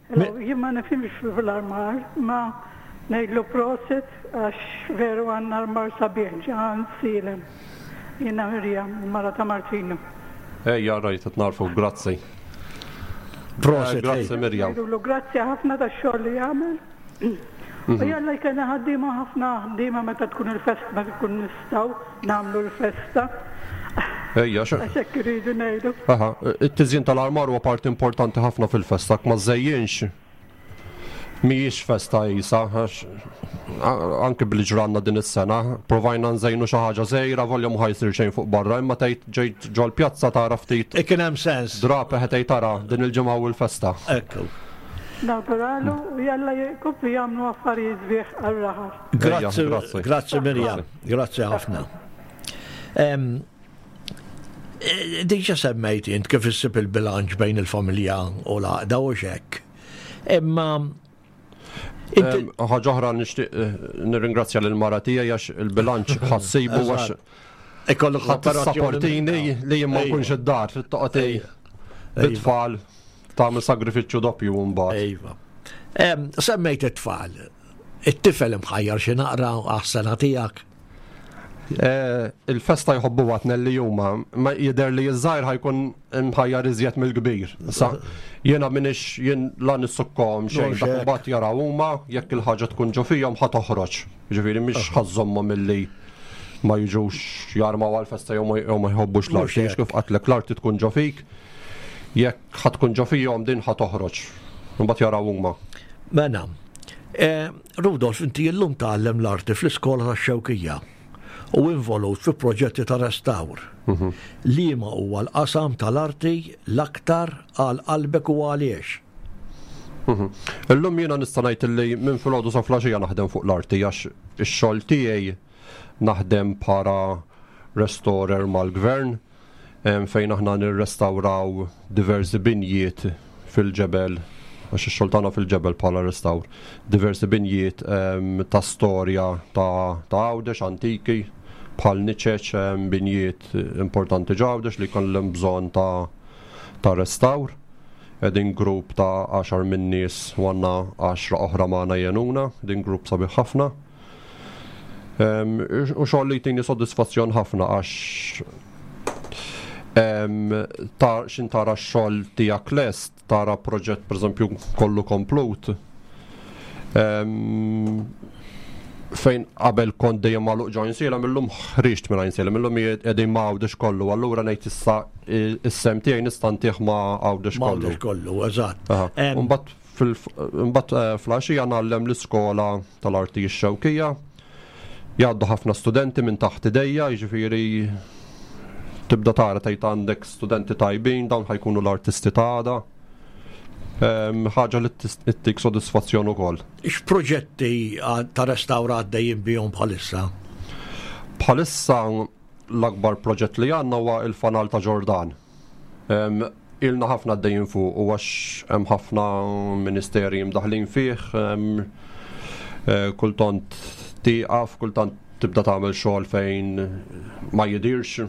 Hello, jien ma nifhimx fl-armar, ma ngħidlu prosit għax veru għandna armar sabiħ ġan silem. Jiena Mirjam, il-mara ta' Martino. Ejja, rajt qed narfu, grazzi. Prosit. Grazzi Mirjam. Ngħidulu grazzi ħafna tax-xogħol li jagħmel. U jalla jkellna ħaddiema ħafna ħaddiema meta tkun il-festa, meta tkun nistgħu nagħmlu l-festa. Ejja, xe. Għax hekk iridu ngħidu. Aha, it-tiżjin tal-armar huwa parti importanti ħafna fil-festa, ma żejjinx mhijiex festa isa, għax anke billi ġranna din is-sena, provajna nżejnu xi ħaġa żgħira, volja mhu ħajsir xejn fuq barra, imma tgħid ġejt ġol-pjazza tara ftit. Ikun hemm sens. Drab eħe tgħid tara din il-ġimgħa u l-festa. Ekku. Nawguralu u jalla jkomplu jagħmlu affarijiet sbieħ għar-raħal. Grazzi, grazzi Mirjam, grazzi ħafna. Diġà semmejt int kif issib il-bilanċ bejn il-familja u l-għaqda u xek. Imma Ħaġa oħra nixtieq nirringrazzja lil mara tiegħi għax il-bilanċ ħassibu għax ikollok ħadd li jien ma nkunx id-dar trid toqgħod bit-tfal tagħmel sagrifiċċju doppju mbagħad. Iva. Semmejt it-tfal. It-tifel imħajjar xi naqra għas-sena tiegħek. Il-festa jħobbu għatna li huma, ma jidher li ż-żgħir ħajkun imħajjar iżjed mill-kbir. Sa jiena minix jien la nissukkom xejn, dak imbagħad jaraw huma jekk il-ħaġa tkun ġo fihom ħa toħroġ. Jiġifieri mhix ħażżommhom milli ma jiġux jarmaw għall-festa jew ma jħobbux l-arti, kif qatlek l-arti tkun ġo fik, jekk ħa tkun ġo fihom din ħa toħroġ. Imbagħad jaraw huma. Mela, Rudolf, inti llum tgħallem l-arti fl-iskola tax-Xewkija. u involut fi proġetti ta' restawr. Mhm. Liema huwa l-qasam tal-arti l-aktar għal qalbek u għaliex? Mhm. Illum jiena nista' ngħid li minn filgħodu sa filgħaxija naħdem fuq l-arti għax ix-xogħol tiegħi naħdem bħala restorer mal-gvern fejn aħna nirrestawraw diversi binjiet fil-ġebel, għax ix-xogħol tagħna fil-ġebel bħala restawr, diversi binjiet ta' storja ta' Għawdex antiki bħal niċeċ, binjiet importanti ġ'Għawdex li jkollhom bżonn ta' ta' restawr. Qegħdin grupp ta' għaxar minn nies u għandna għaxra oħra magħna jgħinuna, din grupp sabiħ ħafna. U xogħol li jtini sodisfazzjon ħafna għax ta' xin tara x-xogħol tiegħek lest, tara proġett pereżempju kollu komplut. Fejn qabel kont dejjem magħluq ġo Għajnsielem, illum ħriġt minn Għajnsielem, illum qegħdin ma' Għawdex kollu, allura ngħid issa is-sem tiegħi nista' ntih ma' Għawdex kollu. Għawdex kollu, eżatt. Imbagħad imbagħad fl-għaxija ngħallem l-iskola tal-arti x-Xewkija. Jgħaddu ħafna studenti minn taħt idejja, jiġifieri tibda tara tgħid għandek studenti tajbin, dawn ħajkunu l-artisti ta' għada. Ħaġa li ttik sodisfazzjon ukoll. X'proġetti ta' restawra għaddejjin bihom bħalissa? Bħalissa l-akbar proġett li għandna huwa il-fanal ta' Ġordan. Ilna ħafna għaddejjin fuq u għax hemm ħafna ministeri mdaħlin fih, kultant tieqaf, kultant tibda tagħmel xogħol fejn ma jidirx.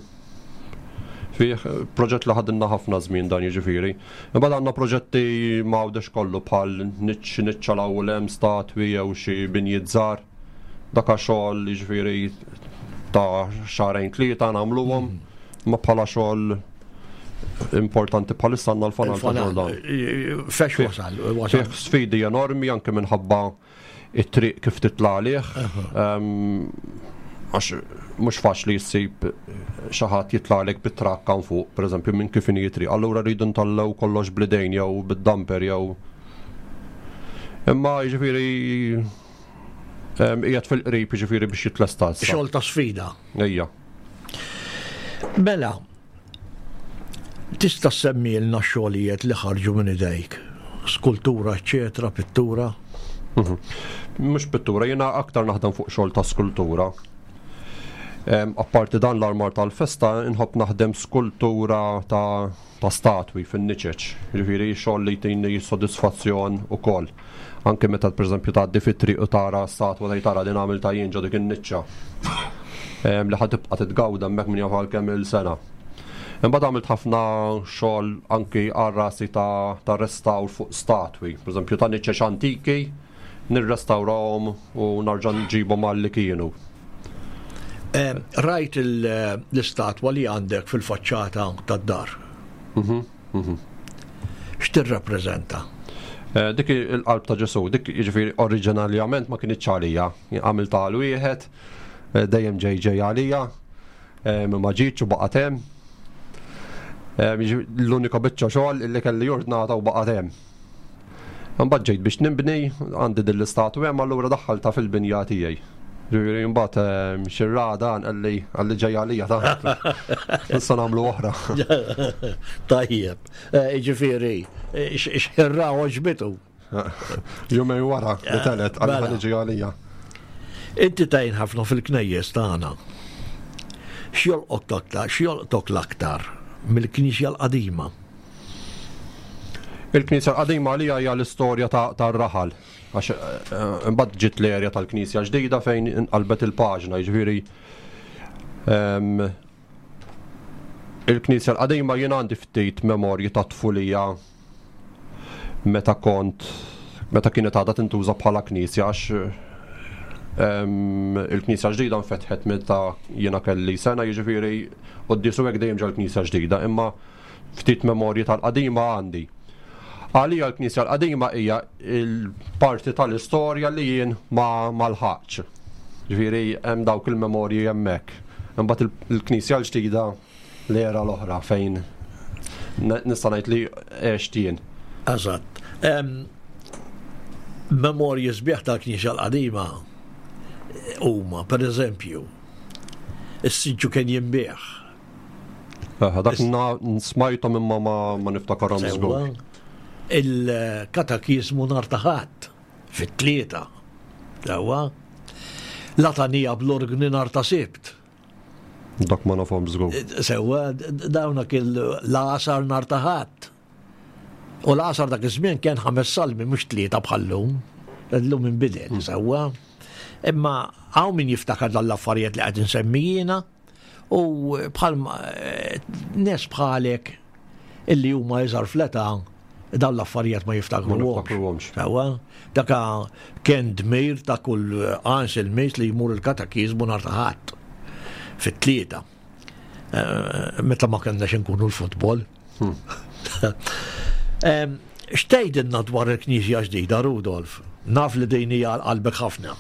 Fih proġett li ħadilna ħafna żmien dan jiġifieri. Imbagħad għandna proġetti ma' Għawdex kollu bħal niċċ niċċa l-ewwel hemm statwi jew xi binjiet żgħar. Dak xogħol jiġifieri ta' xahrejn tlieta nagħmluhom, ma bħala xogħol importanti bħalissa għandna l-fanal ta' Ġordan. Fex wasal, wasal. Fih sfidi enormi anke minħabba it-triq kif titla' għalih. Għax mhux faċli jsib xi ħadd jitlaqlek bit-trakk hawn fuq, pereżempju minn kif inhi triq. Allura rridu ntallgħu kollox bl-idejn jew bid-dumper jew. Imma jiġifieri qiegħed fil-qrib jiġifieri biex jitlesta issa. Xogħol ta' sfida. Ejja. Mela, tista' semmilna xogħlijiet li ħarġu minn idejk? Skultura, eċetera, pittura? Mhux pittura, jiena aktar naħdem fuq xogħol ta' skultura. Apparti dan l-armar tal-festa, inħobb naħdem skultura ta', ta statwi fin-niċeċ. Jiġifieri xogħol li jtini sodisfazzjon ukoll. Anke meta pereżempju tgħaddi fit-triq u tara statwa tgħid tara din għamilta jien ġo dik in-niċċa. Li ħa tibqa' titgawda hemmhekk min jaf għal kemm il-sena. Imbagħad għamilt ħafna xogħol anki għal rasi ta', ta' restawr fuq statwi, pereżempju ta' niċeċ antiki, nirrestawrahom u narġa' nġibhom għal li kienu. Rajt l-istatwa li għandek fil-faċċata tad-dar. X'tirrappreżenta? Dik il-qalb ta' Ġesù, dik jiġifieri oriġinarjament ma kinitx għalija, għamiltha għal wieħed, dejjem ġej ġej għalija, ma ġietx u baqgħet hemm. L-unika biċċa xogħol li kelli ordnata u baqgħet hemm. Imbagħad ġejt biex nibni, għandi din l-istatwa hemm, allura daħħaltha fil-binja tiegħi. Ġifieri mbagħad xi rada qalli qalli ġej għalija ta'. Issa nagħmlu oħra. Tajjeb. Jiġifieri x'ħirra għoġbitu. Jumejn wara li telet qalli ħa niġi għalija. Inti tgħin ħafna fil-knejjes tagħna. X'jolqok aktar, x'jolqtok l-aktar mill-Knisja l-qadima? Il-Knisja l-qadima għalija hija l-istorja tar-raħal. Għax imbagħad ġiet l-erja tal-Knisja ġdida fejn inqalbet il-paġna, jiġifieri il-Knisja l-qadima jien għandi ftit memorji ta' tfulija meta kont meta kienet għadha tintuża bħala knisja, għax il-Knisja ġdida nfetħet meta jiena kelli sena, jiġifieri quddiesu hekk dejjem ġol Knisja ġdida, imma ftit memorji tal-qadima għandi. Għalija l-Knisja l-qadima hija l-parti tal-istorja li jien ma lħaqx. Ġifieri hemm dawk il-memorji hemmhekk. Imbagħad il-Knisja l-ġdida l-era l-oħra fejn nista' ngħid li għext jien. Eżatt. Memorji sbieħ tal-Knisja l-qadima huma, pereżempju, Is-siġġu kien jinbiegħ. Dak smajthom imma ma niftakarhom żgur. Il-katakizmu nhar ta' Ħadd fit-tlieta. Sewwa. Latanija bl-orgni nhar ta' Sibt. Dak ma nafhom żgur. Sewwa, dawna kien l-għasar nhar ta' Ħadd. U l-għasar dak iż-żmien kien ħames salmi mhux tlieta bħal-lum. Illum inbidel, sewwa. Imma hawn min jiftakar dan l-affarijiet li qed insemmi jiena u bħal nies bħalek illi huma iżgħar fl-età dawn l-affarijiet ma jiftakruhomx. Sewwa, daka kien dmir ta' kull Għajnsielmiż li jmur il-katakizmu nhar ta' Ħadd fit-tlieta. Meta ma kellnax inkunu l-futbol. X'tgħidilna dwar il-Knisja ġdida, Rudolf? Naf li din hija għal qalbek ħafna.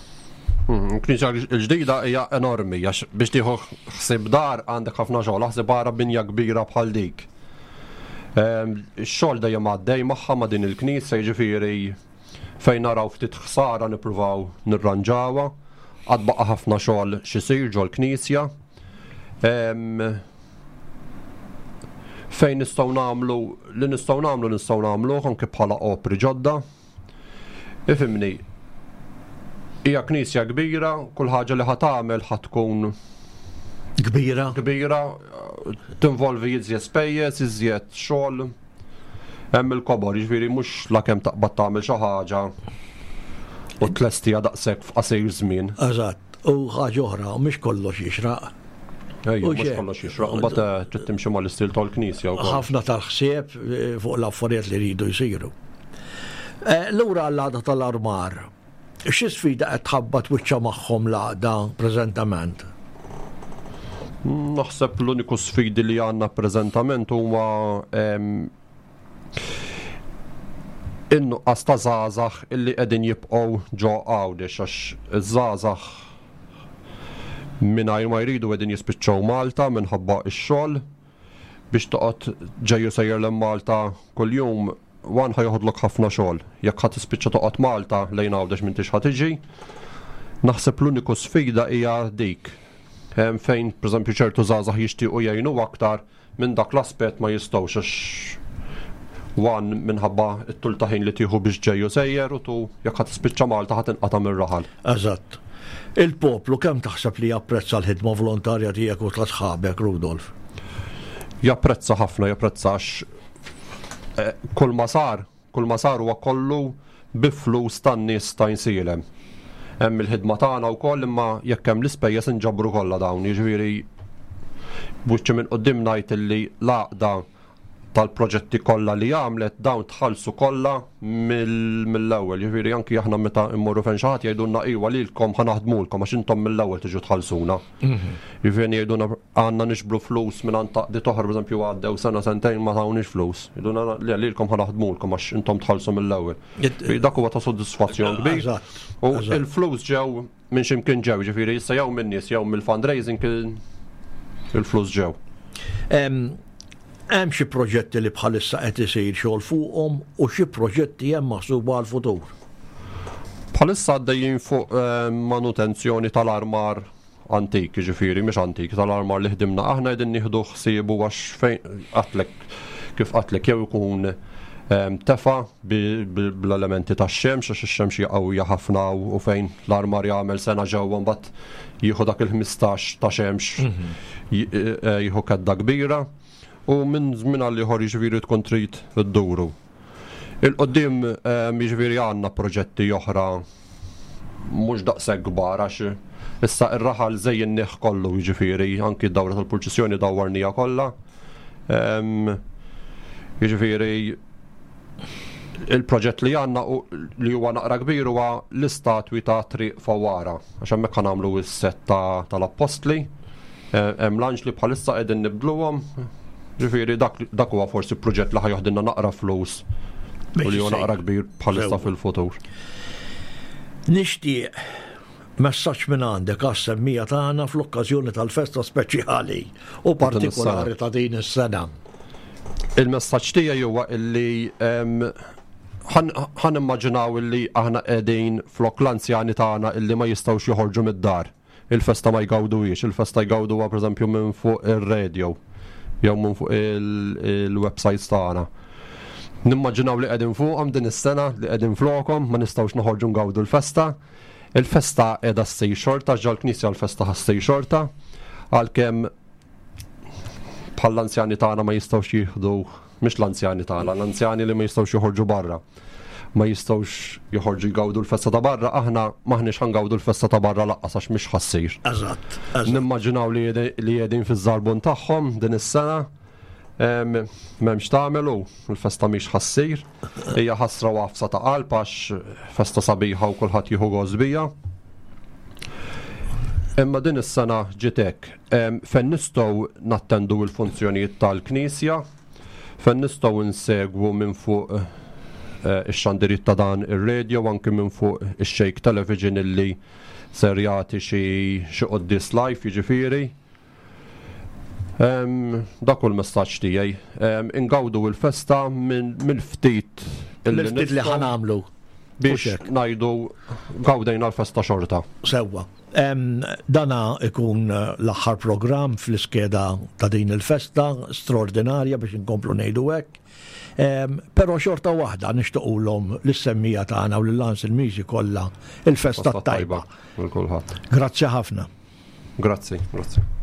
Il-Knisja l-ġdida hija enormi, għax biex tieħu ħsieb dar għandek ħafna xogħol, aħseb ara binja kbira bħal dik. Ix-xogħol dejjem għaddej magħha ma' din il-knisja, jiġifieri fejn naraw ftit ħsara nippruvaw nirranġawha, għad baqa' ħafna xogħol x'isir ġol-knisja. Fejn nistgħu nagħmlu li nistgħu nagħmlu nistgħu nagħmluh anke bħala opri ġodda. Ifhimni, hija knisja kbira, kull ħaġa li ħa tagħmel ħa tkun kbira. Kbira, tinvolvi iżjed spejjeż, iżjed xogħol. Hemm il-kobor, jiġifieri mhux lakemm taqbad tagħmel xi ħaġa u tlestija daqshekk f'qasir żmien. Eżatt, u ħaġa oħra, mhux kollox jixraq. Ejja, mhux kollox jixraq, imbagħad trid timxi mal-istil tal-knisja wkoll. Ħafna tal-ħsieb fuq l-affarijiet li jridu jsiru. Lura għall-għaqda tal-armar, xi sfida qed tħabbat wiċċha magħhom l-għaqda preżentament? Naħseb l-uniku sfidi li għandna preżentament huma in-nuqqas ta' żgħażagħ illi qegħdin jibqgħu ġo Għawdex, għax iż-żgħażagħ mingħajr ma jridu qegħdin jispiċċaw Malta minħabba x-xogħol. Biex toqgħod ġej u sejjer lejn Malta kuljum, wan ħa joħodlok ħafna xogħol. Jekk ħa tispiċċa toqgħod Malta lejn Għawdex m'intix ħa tiġi. Naħseb l-uniku sfida hija dik. Fejn pereżempju ċertu żgħażagħ jixtiequ jgħinu aktar minn dak l-aspett ma jistgħux, għax wan minħabba t-tul ta' ħin li tieħu biex ġej u sejjer, u tu jekk ħa tispiċċa Malta ħa tinqata' mir-raħal. Eżatt. Il-poplu kemm taħseb li japprezza l-ħidma volontarja tiegħek u ta' sħabek, Rudolf? Japprezza ħafna, japprezza għax kull ma sar, kull ma sar huwa kollu bi flus tan-nies ta' Għajnsielem. Hemm il-ħidma tagħna wkoll, imma jekk hemm l-ispejjeż inġabru kollha dawn, jiġifieri b'wiċċi minn quddiem ngħid illi l-għaqda tal-proġetti kollha li għamlet dawn tħallsu kollha mill-ewwel, jiġifieri anki aħna meta mmorru fejn xi ħadd jgħidulna iwa lilkom ħa naħdmulkom għax intom mill-ewwel tiġu tħallsuna. Jiġifieri jgħidulna għandna nixbru flus minn għand taqdiet oħra, pereżempju għaddew sena sentejn ma tawniex flus. Jgħidulna le lilkom ħa naħdmulkom għax intom tħallsu mill-ewwel. Dak huwa ta' sodisfazzjon kbir. U l-flus ġew minn x'imkien ġew, jiġifieri issa jew min-nies jew mill-fundraising il-flus ġew. Hemm xi proġetti li bħalissa qed isir xogħol fuqhom u xi proġetti hemm maħsuba għall-futur. Bħalissa għaddejjin fuq manutenzjoni tal-armar antik, jiġifieri mhux antik, tal-armar li ħdimna aħna qegħdin nieħdu ħsiebu għax fejn qatlek kif qatlek jew ikun tefa bl-elementi tax-xemx, għax ix-xemx hija qawwija ħafna u fejn l-armar jagħmel sena ġewwa mbagħad jieħu dak il-ħmistax ta' xemx jieħu kedda kbira. U minn żmien għal ieħor jiġifieri tkun trid idduru. Il-qoddim jiġifieri għandna proġetti oħra mhux daqshekk kbar, għax issa r-raħal żejjinnieh kollu, jiġifieri anki d-dawra tal-purċissjoni dawwarnija kollha. Jiġifieri il-proġett li għandna li huwa naqra kbir huwa l-istatwi ta' Triq Fawara, għax hemmhekk nagħmlu s-set tal-appostli. Hemm l-anġli bħalissa qegħdin nibdluhom. Ġifieri dak huwa forsi proġett li ħajoħdilna naqra flus u li huwa naqra kbir bħalissa fil-futur. Nixtieq messaġġ minn għandek għas-semmija tagħna fl-okkażjoni tal-festa speċjali u partikolari ta' din is-sena. Il-messaġġ tiegħi huwa illi ħan immaġinaw illi aħna qegħdin flok l-anzjani tagħna illi ma jistgħux joħorġu mid-dar. il-festa ma jgawduhiex, il-festa jgawduha pereżempju minn fuq ir-radio jew minn fuq il-websites tagħna. Nimmaġinaw li qegħdin fuqhom din is-sena, li qegħdin flokhom, ma nistgħux noħorġu ngawdu l-festa. Il-festa qiegħda ssir xorta, ġol-knisja l-festa ħa ssir xorta, għalkemm bħall-anzjani tagħna ma jistgħux jieħdu, mhux l-anzjani tagħna, l-anzjani li ma jistgħux joħorġu barra. Ma jistgħux joħorġu jgawdu l-festa ta' barra, aħna m'aħniex ħa ngawdu l-festa ta' barra lanqas għax mhix ħa ssir. Eżatt. Nimmaġinaw li qegħdin fiż-żarbun tagħhom din is-sena. M'hemmx tagħmelu, il-festa mhix ħa ssir. Hija ħasra u għafsa ta' qalb għax festa sabiħa u kulħadd jieħu gost bija. Imma din is-sena ġiet hekk. Fejn nistgħu nattendu l-funzjonijiet tal-Knisja, fejn nistgħu nsegwu minn fuq ix-xandiriet ta' dan ir-radio, anke minn fuq ix-Shake Television illi ser jagħti xi quddies live, jiġifieri. Dak hu l-messaġġ tiegħi. Ingawdu l-festa mill-ftit mill-ftit li ħa nagħmlu biex ngħidu gawdejna l-festa xorta. Sewwa. Dana ikun l-aħħar programm fl-iskeda ta' din il-festa straordinarja biex inkomplu ngħidu hekk. Però xorta waħda nixtiequlhom lis-semmiegħa tagħna u lill-Anselmiżi kollha il-festa tajba. Lil kulħadd. Grazzi ħafna. Grazzi, grazzi.